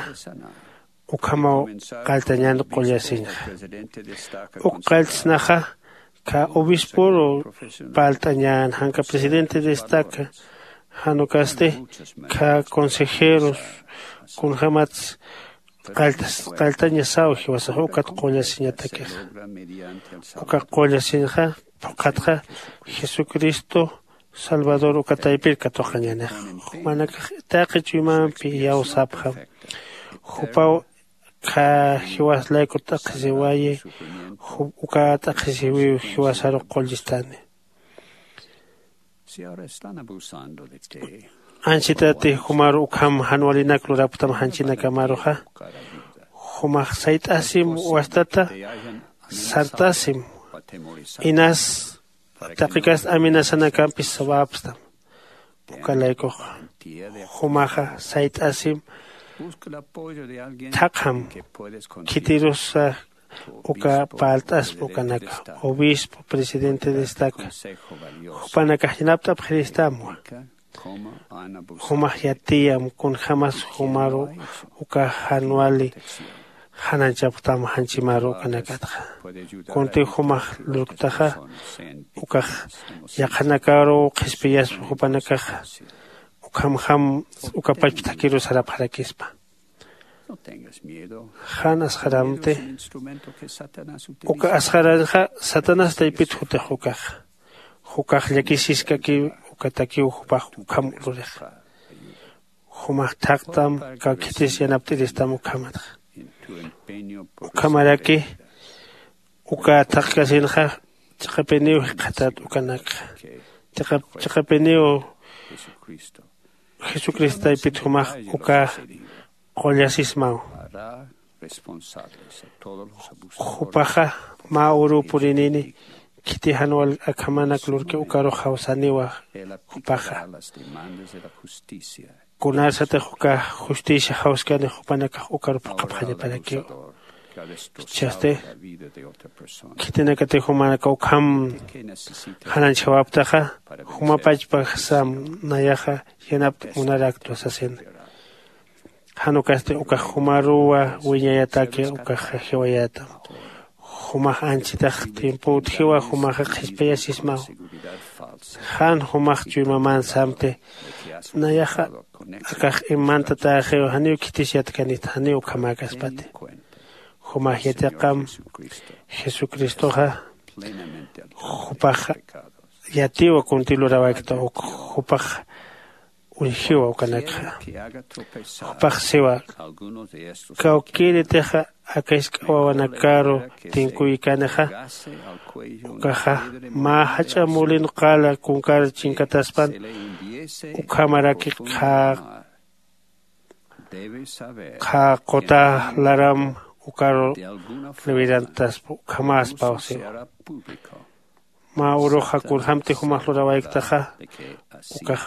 ukhamaw qalltañän qullasiñxa. Uk qalltsnaxa khä obispor parlt'añän janka presidente destaca jan ukasti khä consejeros kunjämats qalltañasaw jiwasax ukat qullasiñatakixa. Uka qullasiñxa phuqhatxa jesucristo salvador uka taypir katuqañänixa. Jumanakax taqi chuymampi iyawsapxam. Jupaw khä jiwas layku t'aqhisiwayi. Uka t'aqhisiwiw jiwasaru qullistani. Anchitati jumaru ukham jan walinak lurapktam janchinakamaruxa jumax sayt'asim wastata sart'asim. Inas taqikast amenazanakampis sawapstam. Uka laykuxa jumaxa sayt'asim thaqham khitirusa uka parlt'aspa ukanaka obispo presidente destaca jupanakax yanapt'apxiristamwa. Jumax yatiyam kunjämas jumaru uka jan wali jananchapktam janchimaru ukanakatxa. Kuntiw jumax lurktaxa ukax yaqhanakaruw qhispiyaspa jupanakaxa. Ukhamjam uka pachpa thakiru sarapxarakispa. Jan asxaramti uka asxaranxa satanás taypit jutix ukaxa. Jukax llakisiskakiw ukatakiw jupax ukham lurixa. Jumax thaqtam kawkhitis yanapt'iristam ukhamatxa. Ukhamaraki uka thaqkasinxa chiqapiniw jikxatat ukanakxa. Chiqapiniw Jesucristo taypit jumax uka qullasismaw. Jupaxa mä uruw purinini khiti jan wal akhamanak lurki ukarux jawsaniwa. Jupaxa kunarsatix uka justicia jawskani jupanakax ukaru phuqhapxañaparakiw. Jichhasti khitinakatix jumanakaw ukham jananchjawaptaxa, jumapachpasam nayaxa yanapt'añ munarakta sasina. Jan ukasti ukax jumaruwa wiñayataki ukaxa jiwayätam. Jumax anchitax tiempo utjiwa jumaxa qhispayasismaw. Jan jumax chuymaman samti nayaxa akax imantatäxiw janiw khitis yatkanit janiw ukhamäkaspati. Jumax yatiqam jesucristoxa jupax yatiwa kunti lurawakta uk jupax uñjiwa ukanakxa. Jupax siwa kawkïritixa aka jisk'a wawanakaru tinkuykanixa ukaxa mä jach'a mulin qala kunkar chinkataspan ukhamaraki qha qha quta laram ukaru liwirantaspa ukhamäspaw siwa. Mä uruxa kunjämti jumax lurawayktaxa ukax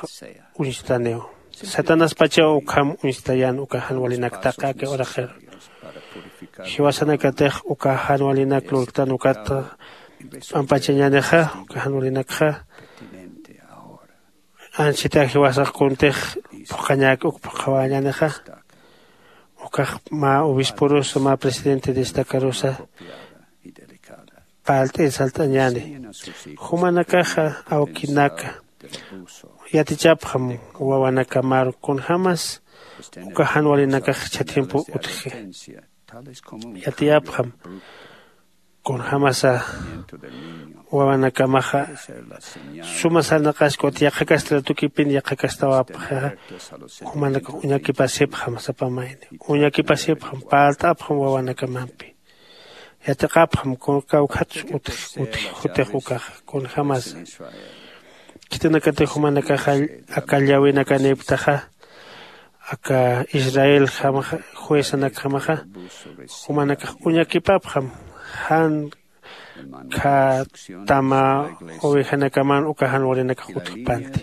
uñstaniw. Satanaspachaw ukham uñstayän uka jan walinak taqi aka uraqiru. Jiwasanakatix uka jan walinak lurktan ukat p'ampachañänixa uka jan walinakxa anchita jiwasax kuntix phuqhañäki uk phuqhawäñänixa. Ukax mä obisporusa mä presidente destacarusa parlt'ir salt'añäni. Jumanakaxa awkinaka yatichapxam wawanakamaru kunjämas uka jan walinakax jichha tiempo utji. Yatiyapxam kunjämasa wawanakamaxa suma sarnaqaskut yaqhakasti ratukipin yaqhakastawapxixa. Jumanakax uñakipasipxam sapa mayni uñakipasipxam parlt'apxam wawanakamampi. Yatiqapxam kawkhatsu utji jutix ukaxa kunjämasa khitinakatix jumanakaxa aka llawinakanïpktaxa aka israeljamaxa juezanakjamaxa jumanakax uñakipapxam jan kha tama ovejanakaman uka jan walinakax utjpanti.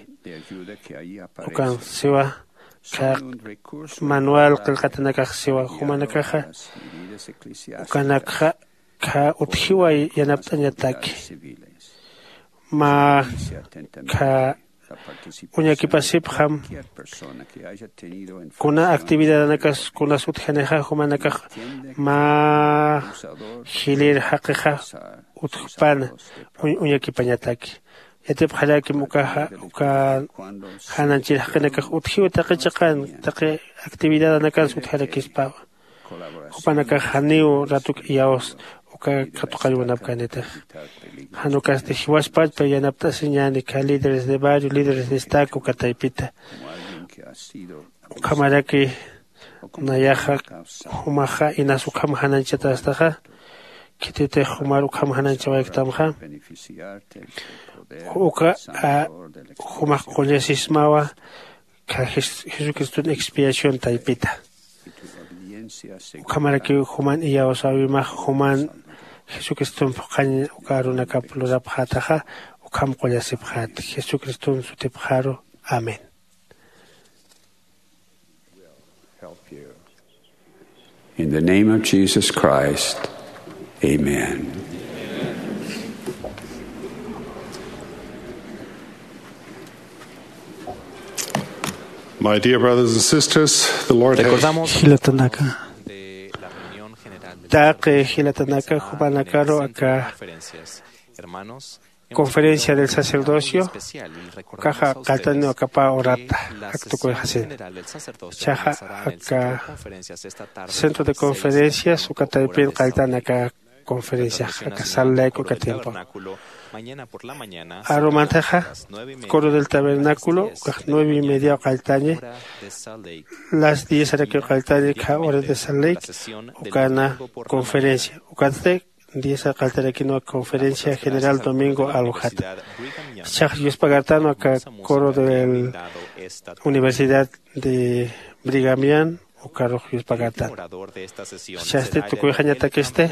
Ukan siwa kha manual qillqatinakax siwa jumanakaxa ukanakxa kha utjiwa yanapt'añataki mä kha uñakipasipxam kuna actividadanakas kunas utjanixa jumanakax mä jilïr jaqixa utjpana uñakipañataki. Yatipxarakim ukaxa uka jananchir jaqinakax utjiw taqi chiqan taqi actividadanakansa utjarakispawa. Jupanakax janiw ratuk iyawsa uka katuqañ munapkänitix. Jan ukasti jiwaspachpa yanapt'asiñäni kha líderes de barrio líderes de estaca uka taypita ukhamaraki nayaxa jumaxa inas ukham jananchatästaxa. Khititix jumar ukham jananchawayktamxa uka jumax qullasismawa kha jesucriston expiación taypita. Ukhamarakiw juman iyawsäwimax juman jesucriston phuqhañ uka arunakap lurapxätaxa ukham qullasipxäti jesucriston sutipxaru. Amén. In the name of Jesus Christ, amen. My dear brothers and sisters, the Lord has... Recordamos jilatanaka taqi jilatanaka jupanakaru aka conferencia del sacerdocio ukaxa qalltaniw akapä urata. Aktukuyxasin chaxa aka centro de conferencias uka taypin qalltan aka conferenciax aka sallayku aka tiempo arumantaxa coro del tabernáculo ukax nueve y media qalltañi las diez arakiw qalltañi kha hora de sallayk ukana conferencia ukatsti Diez aqalltarakinwa conferencia general domingo alujata. Chax yuspagartanwa ka coro del universidad de brigamian ukarux yuspagartan. Chasti tukuyxañatakisti,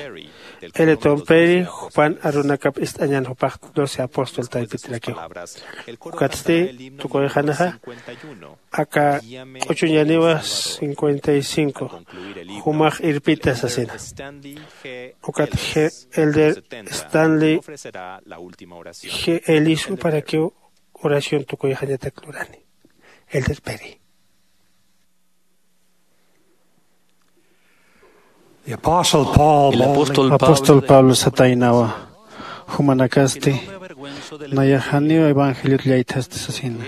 eleton peri jupan arunakap ist'añan jupax doce apóstol taypitirakiw. Ukatsti tukuyxanaxa aka q'uchuñaniwa cincuenta y cinco jumax irpita sasina. Ukat elder stanley g elis uparakiw oración tukuyxañatak lurani. Elder peri. The Apostle Paul El boldly apóstol Apóstol Pablo Pablo sataynawa, jumanakasti nayax janiw evangeliot llaythasti sasina.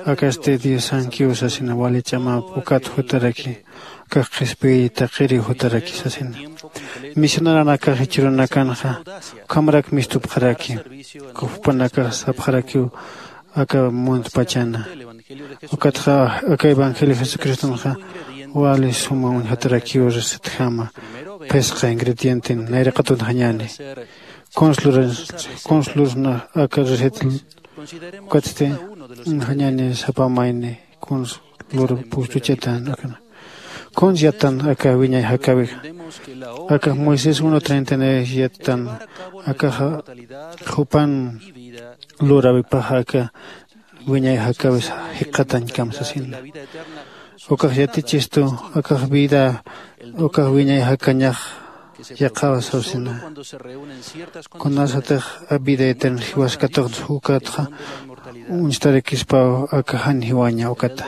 Akasti diosankiw sasina, wali ch'amap ukat jutaraki, akax qhispiy taqiriw jutaraki sasina. Misioneronakax jichhürunakanxa ukhamarak mistupxaraki, jupanakax sapxarakiw aka muntpachana. Ukatxa aka evangelio jesucristonxa wali suma uñjatarakiw recetjama. Phisqa ingredienten nayraqatunxañäni. Kuns lurasna aka receta? Ukatsti uñjañäni sapa mayni kuns lur pustuchatan akana. Kuns yatan aka wiñay jakäwixa? Aka moisés uno treinta y nueve yatan. Akaxa jupan luräwipaxa aka wiñay jakäwis jikxatañkam sasina. Ukax yatichistu akax vida ukax wiñay jakañax yaqhawa sasina. Kunasatix vida eterna jiwas katuqta jukatxa uñstarakispaw aka jan jiwaña ukata.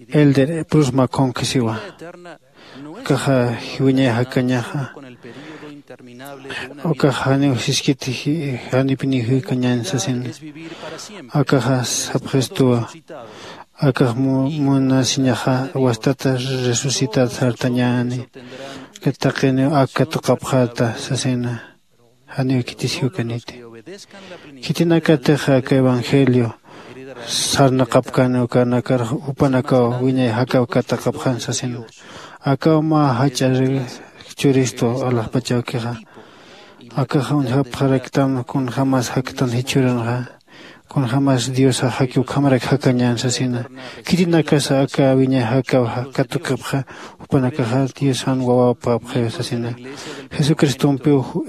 Elder brusma konkisiwa. Akaxa wiñay jakañaxa ukax janiw siskiti janipiniw jikañän sasina. Akaxa sapxistuwa akax munasiñaxa wastata resucitat sartañäni. Taqiniw ak katuqapxäta sasina. Janiw khitis jiwkaniti. Khitinakatix aka evangelio sarnaqapkani ukanakar jupanakaw wiñay jakaw katuqapxan sasina. Akaw mä jach'a churistu alaxpachawkixa. Akaxa uñjapxaraktam kunjämas jaktan jichhürunxa. Kunjämas diosax jaki ukhamarak jakañän sasina. Khitinakasa aka wiñay jakaw katuqapxa jupanakaxa diosan wawapapxiw sasina. Jesucristompiw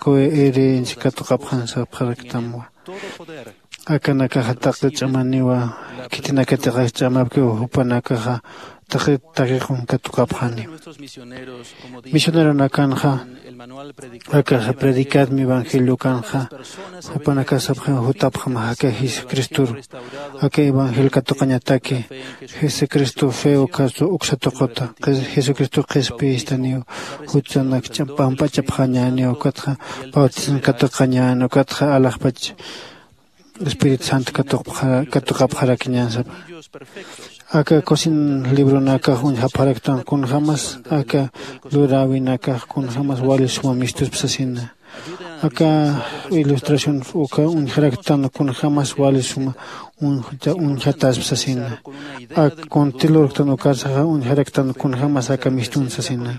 herencia katuqapxan sapxaraktamwa. Akanakaxa taqi ch'amaniwa. Khitinakatix ch'amapkiw jupanakaxa taqi taqiqun katuqapxani. Misioneronakanxa akaxa predicadmi evangeliokanxa jupanakasapxi jutapxam jaka jesucristor. Aka evangelio katuqañataki jesucristo fe ukastu uksatuquta jesucristo qhispiyistaniw. Jutsanak pampach'apxañäniw ukatxa bautismo katuqañäni ukatxa alaxpach espíritu santo katuqapxarakiñän sapa. Aka cocina libronakax uñjapxaraktan kunjämas aka luräwinakax kunjämas wali suma mistuspa sasina. Aka ilustración uka uñjaraktan kunjämas wali suma uñjataspa sasina. Ak kunti lurktan ukarsaxa uñjaraktan kunjämas aka mistun sasina.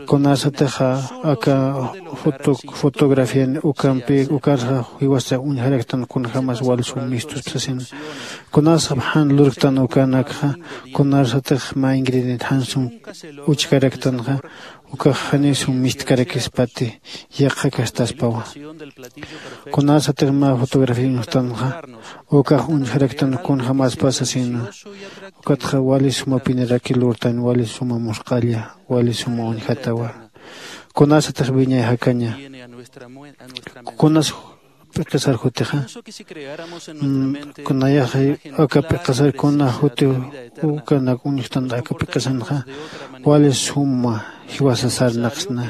Kunasatixa aka fotografian ukampi ukarsa jiwasa uñjaraktan kunjämas wal sum mistuspa sasina. Kunasap jan lurktan ukanakxa kunasatix mä ingrediente jan sum uchkaraktanxa ukax janiw sum mistkarakispati yaqha kastaspawa. Kunasatix mä fotografía uñjtanxa ukax uñjaraktan kunjämaspa sasina. Ukatxa wali suma piniraki lurtan wali suma musq'alla wali suma uñjatawa. Kunasatix wiñay jakaña kunas p'iqisar jutixa kunayaxa aka p'iqisar kuna juti ukanak uñjtan aka p'iqisanxa wali suma jiwasa sarnaqsna.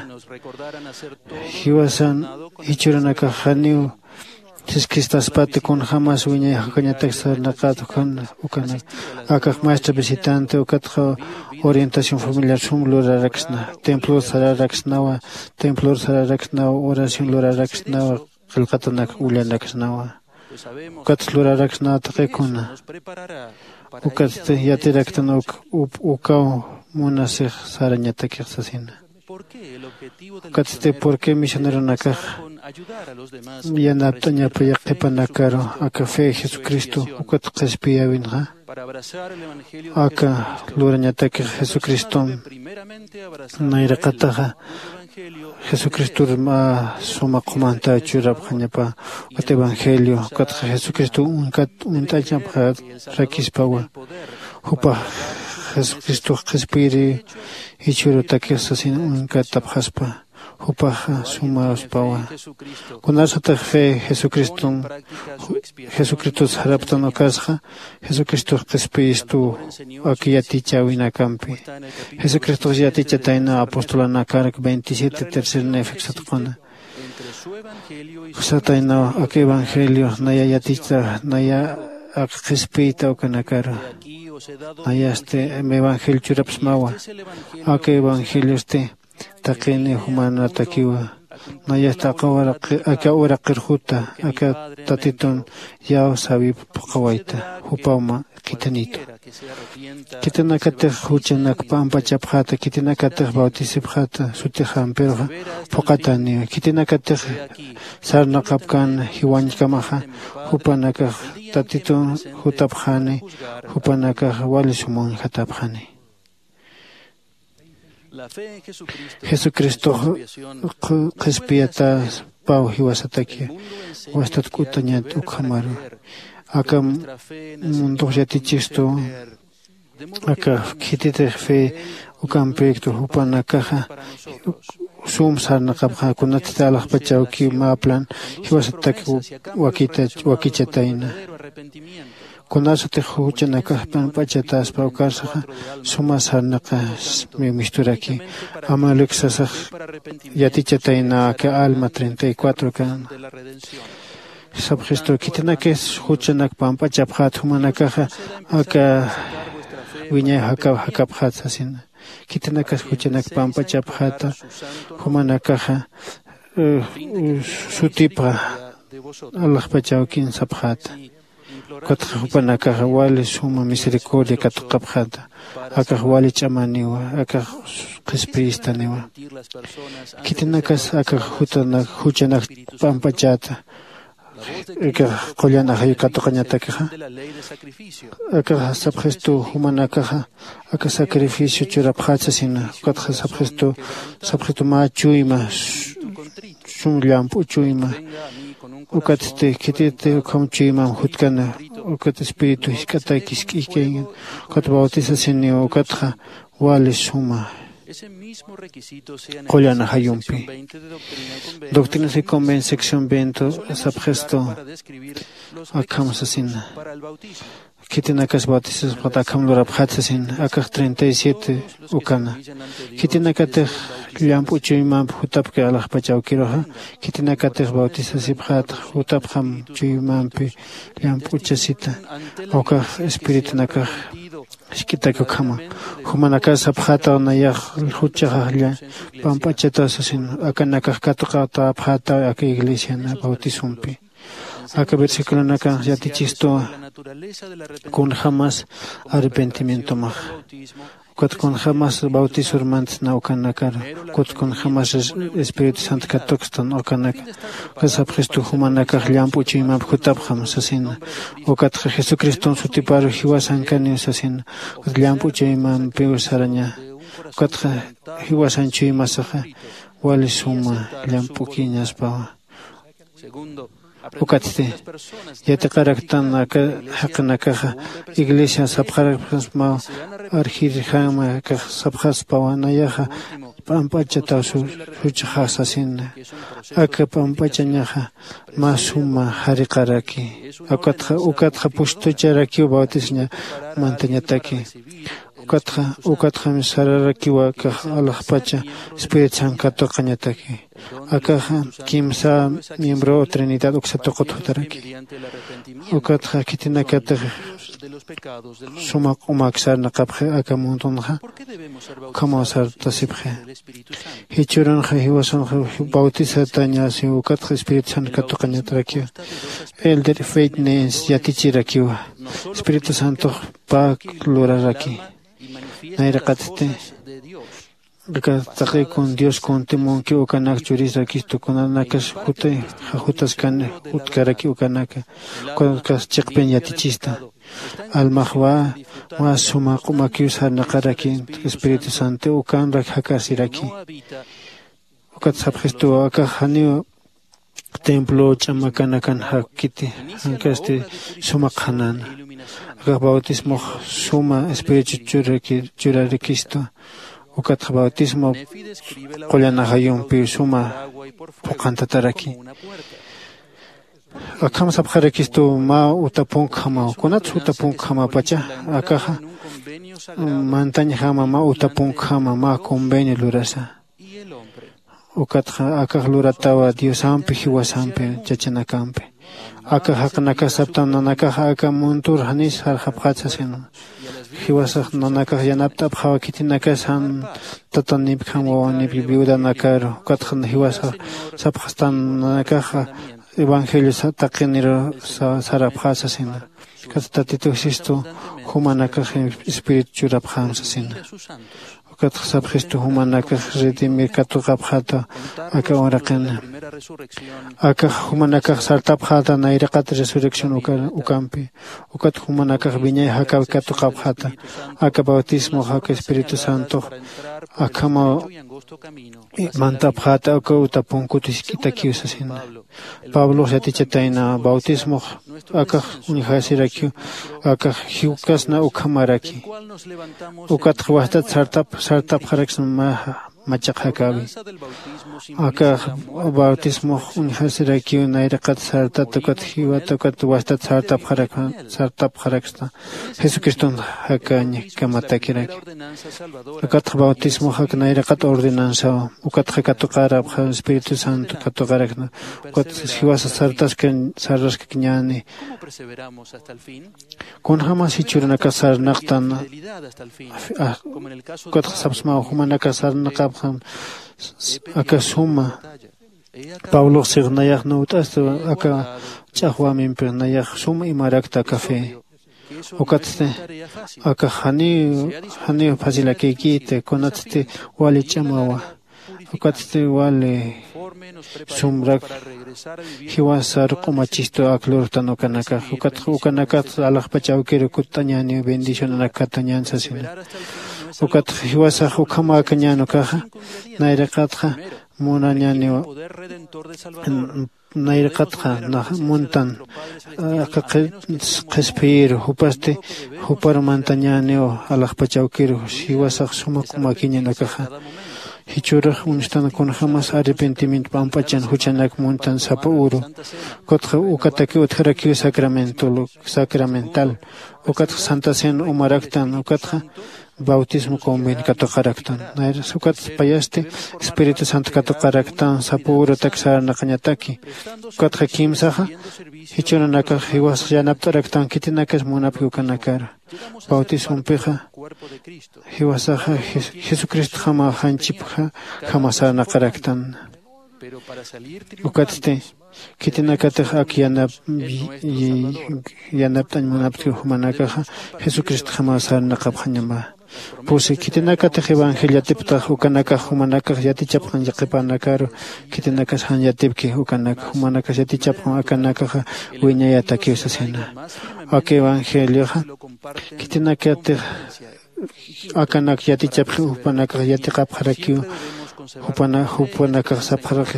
Jiwasan jichhürunakax janiw siskistaspati kunjämas wiñay jakañatak sarnaqat ukan ukanak akax maestra visitante ukatxa orientación familiar sum luraraksna. Templor sararaksnawa. Templor sararaksnawa oración luraraksnawa. Qillqatanak ullanaksnawa. Ukatsa luraraksnawa taqikuna. Ukatsti yatiraktan uk ukaw munasix sarañatakix sasina. Ukatsti purqui misioneronakax yanapt'añapa yaqhipanakaru aka fe jesucristo ukat qhispiyäwinxa. Aka lurañatakix jesucriston nayraqataxa jesucristor mä suma qhumantaw churapxañapa. Ukat evangelio ukatxa jesucristo uñkat uñt'añapxarakispawa. Jupax jesucristox qhispiyiri jichhürutakix sasin uñkatapxaspa. Jupaxa sumaspawa. Kunasatix fe jesucriston jesucristos jaraptan ukasxa jesucristox qhispiyistu. Ak yatichäwinakampi jesucristox yatichatayna apostolanakark veintisiete tercer nefeksatquna sataynaw ak evangelio naya yatichta naya ak qhispiyta ukanakaru. Nayasti evangelio churapsmawa. Ak evangeliosti taqini jumanatakiwa. Nayasti aka uraqirjuta aka tatitun yaw sawip phuqhawayta jupawma. Khithanitu khitinakatix juchanak p'amp'achapxäta khitinakatix bautisipxäta sutixampiruxa phuqhatäniwa khitinakatix sarnaqapkän jiwañkamaxa. Jupanakax tatitun jutapxäni jupanakax wali suma uñjatapxäni. Jesucristox qhispiyatäspaw jiwasataki wastatk'utañat ukhamaru. Aka mundux yatichistu aka khititix fe ukampiyktu jupanakaxa sum sarnaqapxa kunatsti alaxpachawki mä plan jiwasatak wakichatayna. Kunasatix juchanakax p'amp'achatäspa ukarsaxa suma sarnaqas misturaki. Amalek sasax yatichatayna aka alma treinta y cuatro kan sapxistu khitinakis juchanak p'amp'achapxät jumanakaxa aka wiñay jakapxät sasina. Khitinakas juchanak p'amp'achapxäta jumanakaxa sutipxa alaxpachawkin sapxäta. Ukatxa jupanakaxa wali suma misericordia katuqapxäta. Akax wali ch'amaniwa akax qhispiyistaniwa. Khitinakas akax juchanak p'amp'achäta akax qullan ajayu katuqañatakixa. Akax sapxistu jumanakaxa aka sacrificio churapxät sasina. Ukatxa sapxistu sapxistu mä chuyma sum llamp'u chuyma. Ukatsti khititi ukham chuymam jutkana ukat espíritu jisk'ataki jisk'ikaykan ukat bautisasiniw ukatxa wali suma qullan ajayumpi. Doctrinas y convención veinte sapxistu akham sasina. Khitinakas bautisasipxat akham lurapxat sasin akax treinta y siete ukana. Khitinakatix llamp'u chuymamp jutapki alaxpach awkiruxa khitinakatix bautisasipxat jutapxam chuymampi llamp'uchasita. Ukax espiritunakax jisk'itak ukhama jumanakas sapxataw nayax juchaxaxlla p'amp'achataw sasin akanakax katuqatäpxataw aka iglesiana bautisompi. Aka versiculonakanx yatichistuwa kunjämas arrepentimientomax ukat kunjämas bautisurmantsna ukanakar ukat kunjämas espíritu santo katukstan ukanaka. Ukat sapxistu jumanakax llamp'u chuymamp jutapxam sasina. Ukatxa jesucriston sutiparu jiwasankaniw sasina. Ukat llamp'u chuymampiw saraña. Ukatxa jiwasan chuymasaxa wali suma llamp'ukiñaspawa. Ukatsti yatiqaraktan aka jaqinakaxa iglesia sapxarapxasmaw arjirjama akax sapxaspawa nayaxa p'amp'achataw suchaxax sasina. Aka p'amp'achañaxa mä suma jariqaraki. Ukatxa ukatxa pustucharakiw bautisaña mantañataki. Ukatxa ukatxam sararakiwa akax alaxpacha espíritu santo katuqañataki. Akaxa kimsa miembro trinidad uksa tuqut jutaraki. Ukatxa khitinakatix suma q'umak sarnaqapxi aka mundunxa ukhamaw sartasipxi. Jichhürunxa jiwasanxa bautisatañasiw ukatxa espíritu santo katuqañatarakiwa. Elder feitnens yatichirakiwa espíritu santox pä luraraki. Nayraqatsti Aka taqi kun dios kuntimunki ukanak churisa kistu kunanakas jutay. Jajutaskani jutkaraki ukanaka. Kunakas chiqpin yatichista almaxwa. Mä suma q'umakiw sarnaqaraki espíritu santo ukanrak jakasiraki. Ukat sapxistuwa akax janiw templo ch'amakanakan jakkiti jankasti suma qhanana. Akax bautismox suma espíritu churarakistu. Ukatxa bautismo qullan ajayumpiw suma phuqhantataraki. Akham sapxarakistu mä utapunkjamaw kunatsa utapunkjamapacha akaxa mantañjama mä utapunkjama mä convenio lurasa. Ukatxa akax luratawa diosampi jiwasampi chachanakampi. Aka jaqinakax saptan nanakaxa aka muntur janis sarxapxat sasin. Jiwasax nanakax yanapt'apxawa khitinakas jan tatanipjam wawanipki viudanakaru. Ukatxa jiwasax sapxastan nanakaxa evangelio taqiniru sarapxat sasina. Ukatxa tatitu jisistu jumanakax espíritu churapxam sasina. Ukatxa sapxistu jumanakax redimir katuqapxata aka uraqina. Akax jumanakax sartapxata nayraqat resurrección ukampi. Ukat jumanakax wiñay jakawi katuqapxata. Aka bautismox aka espíritu santox akhamaw mantapxata aka uta punkut jisk'itakiw sasina. Pablox yatichatayna bautismox akax uñjasirakiw akax jiwkasna ukhamaraki. Ukatxa wastat sartap sartapxaraksna mä machaq jakäwi. Akax bautismox uñjasirakiw nayraqat sartat ukat jiwat ukat wastat sartapxaraksta jesucriston jakañ kamatakirak. Ukatxa bautismox ak nayraqat ordenanzaw. Ukatxa katuqarapxa espíritu santo katuqarakna. Ukat jiwasa sartaskañ sarraskakñäni. Kunjämas jichhürunakax sarnaqtan ukatxa sapsmaw jumanakax sarnaqapxam aka suma. Pablox six nayax nuwt'asta aka ch'axwämimpi nayax suma imarakta aka fe. Ukatsti akax janiw janiw facilakïkïta kunatsti wali ch'amawa. Ukatsti wali sumrak jiwasar q'umachistu ak lurtan ukanakax ukatxa ukanakatsa alaxpach awkiru kutt'añäniw bendicionanak katuñän sasina. Ukatxa jiwasax ukhamäkañän ukaxa nayraqatxa munañäniw nayraqatxa nax muntan aka qhispiyiru jupasti juparu mantañäniw alaxpach awkiru jiwasax suma q'umakiñän akaxa. Jichhürux uñstan kunjämas arrepentimiento pamp'achan juchanak muntan sapa uru. Ukatxa ukatakiw utjarakiw sacramental ukatxa santa cena umaraktan ukatxa bautismo convin katuqaraktan. Nayras ukatxa payasti espíritu santo katuqaraktan sapa urutak sarnaqañataki. Ukatxa kimsaxa jichhürunakax jiwasax yanapt'araktan khitinakas munapki ukanakar. Bautismompixa jiwasaxa jesucristjama janchipjama sarnaqaraktan. Ukatsti khitinakatix ak yanap yanapt'añ munaptki jumanakaxa jesucristjama sarnaqapxañama. Pusi khitinakatix evangelio yatiptax ukanakax jumanakax yatichapxañ qhipanakaru. Khitinakas jan yatipki ukanak jumanakas yatichapxam akanakaxa wiñayatakiw sasina. Aka evangelioxa khitinakatix akanak yatichapxi jupanakax yatiqapxarakiw. Jupanakax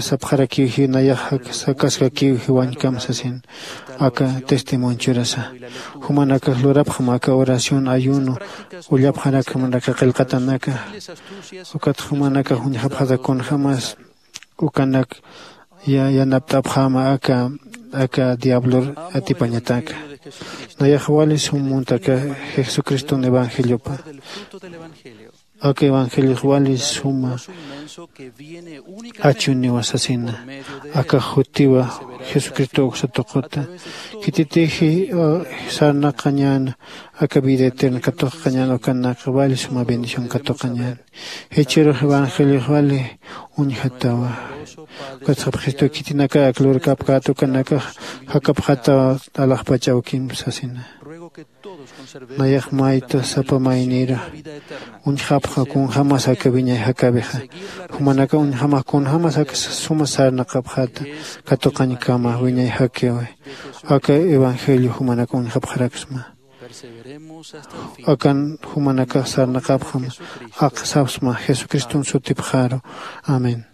sapxarakiw jiw nayax sakaskakiw jiwañkam sasin. Aka testimonchurasa jumanakax lurapxam aka oración ayuno ullapxarakmanaka qillqatanaka. Ukat jumanakax uñjapxata kunjämas ukanak yanapt'apxäma aka aka diablor atipañataka. Nayax wali sum muntaka jesucriston evangeliopa. Aka evangeliox wali suma achuniwa sasina. Aka jutiwa jesucristo uksa tuquta. Khititixi sarnaqañäna aka vida eterna katuqañäna ukanaka wali suma bendición katuqañäna. Jichhürux evangeliox wali uñjatawa. Ukatxa jesucristo khitinaka ak lurkapkät ukanakax jakapxataw alaxpach awkim sasina. Nayax mayta sapa maynira uñjapxa kunjämas aka wiñay jakäwixa. Jumanakax uñjamax kunjämas aka suma sarnaqapxäta katuqañkama wiñay jakäwi. Aka evangelio jumanakax uñjapxaraksma. Akan jumanakax sarnaqapxam aka sapxsma Jesucriston sutipxaru. Amén.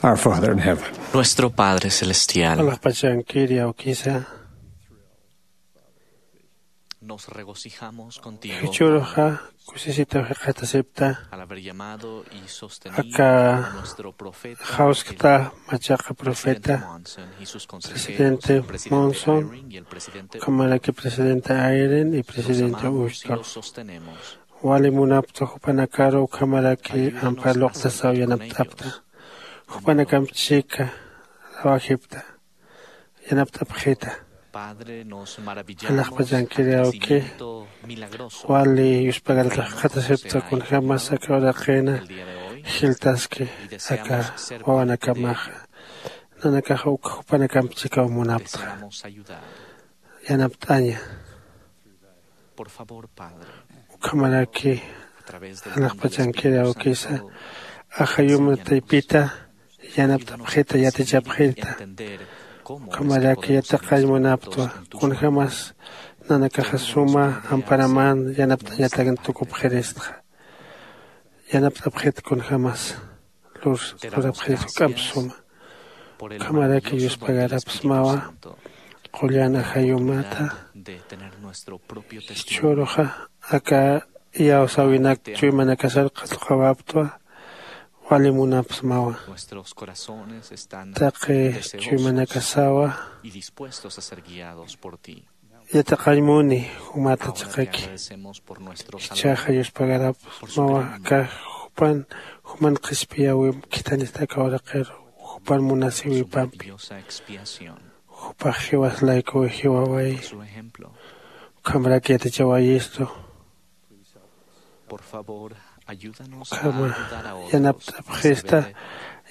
Our Father in heaven. Nuestro Padre Celestial. Alaxpachankir yawkisa. Nos regocijamos contigo. Jichhüruxa kusisitaw jikxatasipta. Al haber llamado y sostenido aka a nuestro profeta, jawskta machaqa profeta, presidente Monson, ukhamaraki presidente Eyring y presidente Ucht'ur. Wali munapta jupanakaru ukhamaraki ampar luqtasaw yanapt'apta. Jupanakamp chika rawajipta, yanapt'apxita. Alaxpachankiri awki, wali yuspagarat jikxatasipta kunjämas aka uraqïna jiltaski aka wawanakamaxa. Nanakax uk jupanakamp chikaw munaptxa, yanapt'aña. Ukhamaraki alaxpachankiri awkisa, ajayuma taypita yanapt'apxita, yatichapxita. Ukhamaraki yatiqañ munaptwa kunjämas nanakaxa suma amparaman yanapt'añatakna tukupxiristxa. Yanapt'apxita kunjämas lur lurapxirist juk'amp suma. Ukhamaraki yuspagarapxsmawa qullan ajayumata. Jichhüruxa aka iyawsäwinak chuymanakasar qhatuqawaptwa. Wali munapxsmawa taqi chuymanakasawa. Yatiqañ muni jumata chiqaki. Jichhaxa yuspagarapxsmawa aka jupan, juman qhispiyäwimp khithanista aka uraqiru, jupan munasïwipampi. Jupax jiwas laykuwi jiwawayi. Ukhamrak yatichawayistu. Ukhama yanapt'apxista,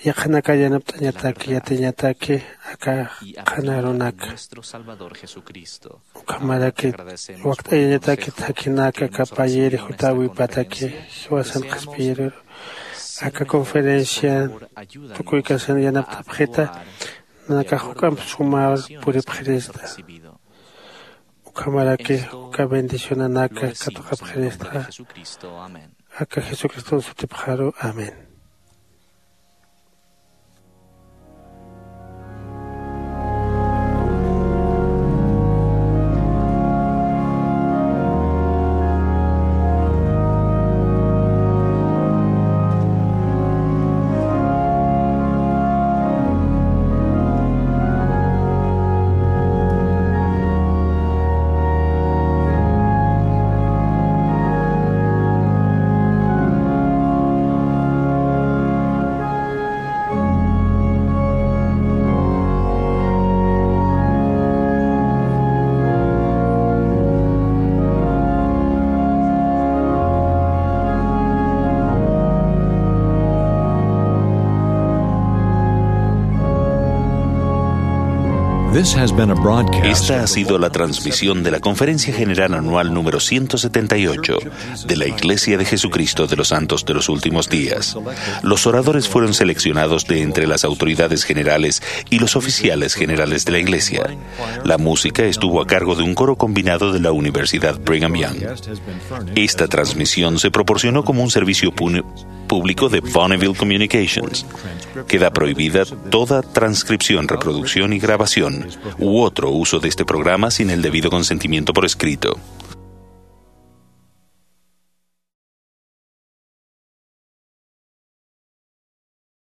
yaqhanakar yanapt'añataki, yatiñataki aka qhana arunaka. Ukhamaraki wakt'ayañataki thakhinaka aka payiri jutäwipataki jiwasan qhispiyiriru. Aka conferencian tukuykasan yanapt'apxita, nanakax juk'amp sumar puripxirista. Ukhamaraki uka bendicionanaka katuqapxirista. Aka Jesucriston sutipxaru. Amén. This has been a broadcast. Esta ha sido la transmisión de la Conferencia General Anual número ciento setenta y ocho de la Iglesia de Jesucristo de los Santos de los Últimos Días. Los oradores fueron seleccionados de entre las autoridades generales y los oficiales generales de la Iglesia. La música estuvo a cargo de un coro combinado de la Universidad Brigham Young. Esta transmisión se proporcionó como un servicio público de Bonneville Communications. Queda prohibida toda transcripción, reproducción y grabación u otro uso de este programa sin el debido consentimiento por escrito.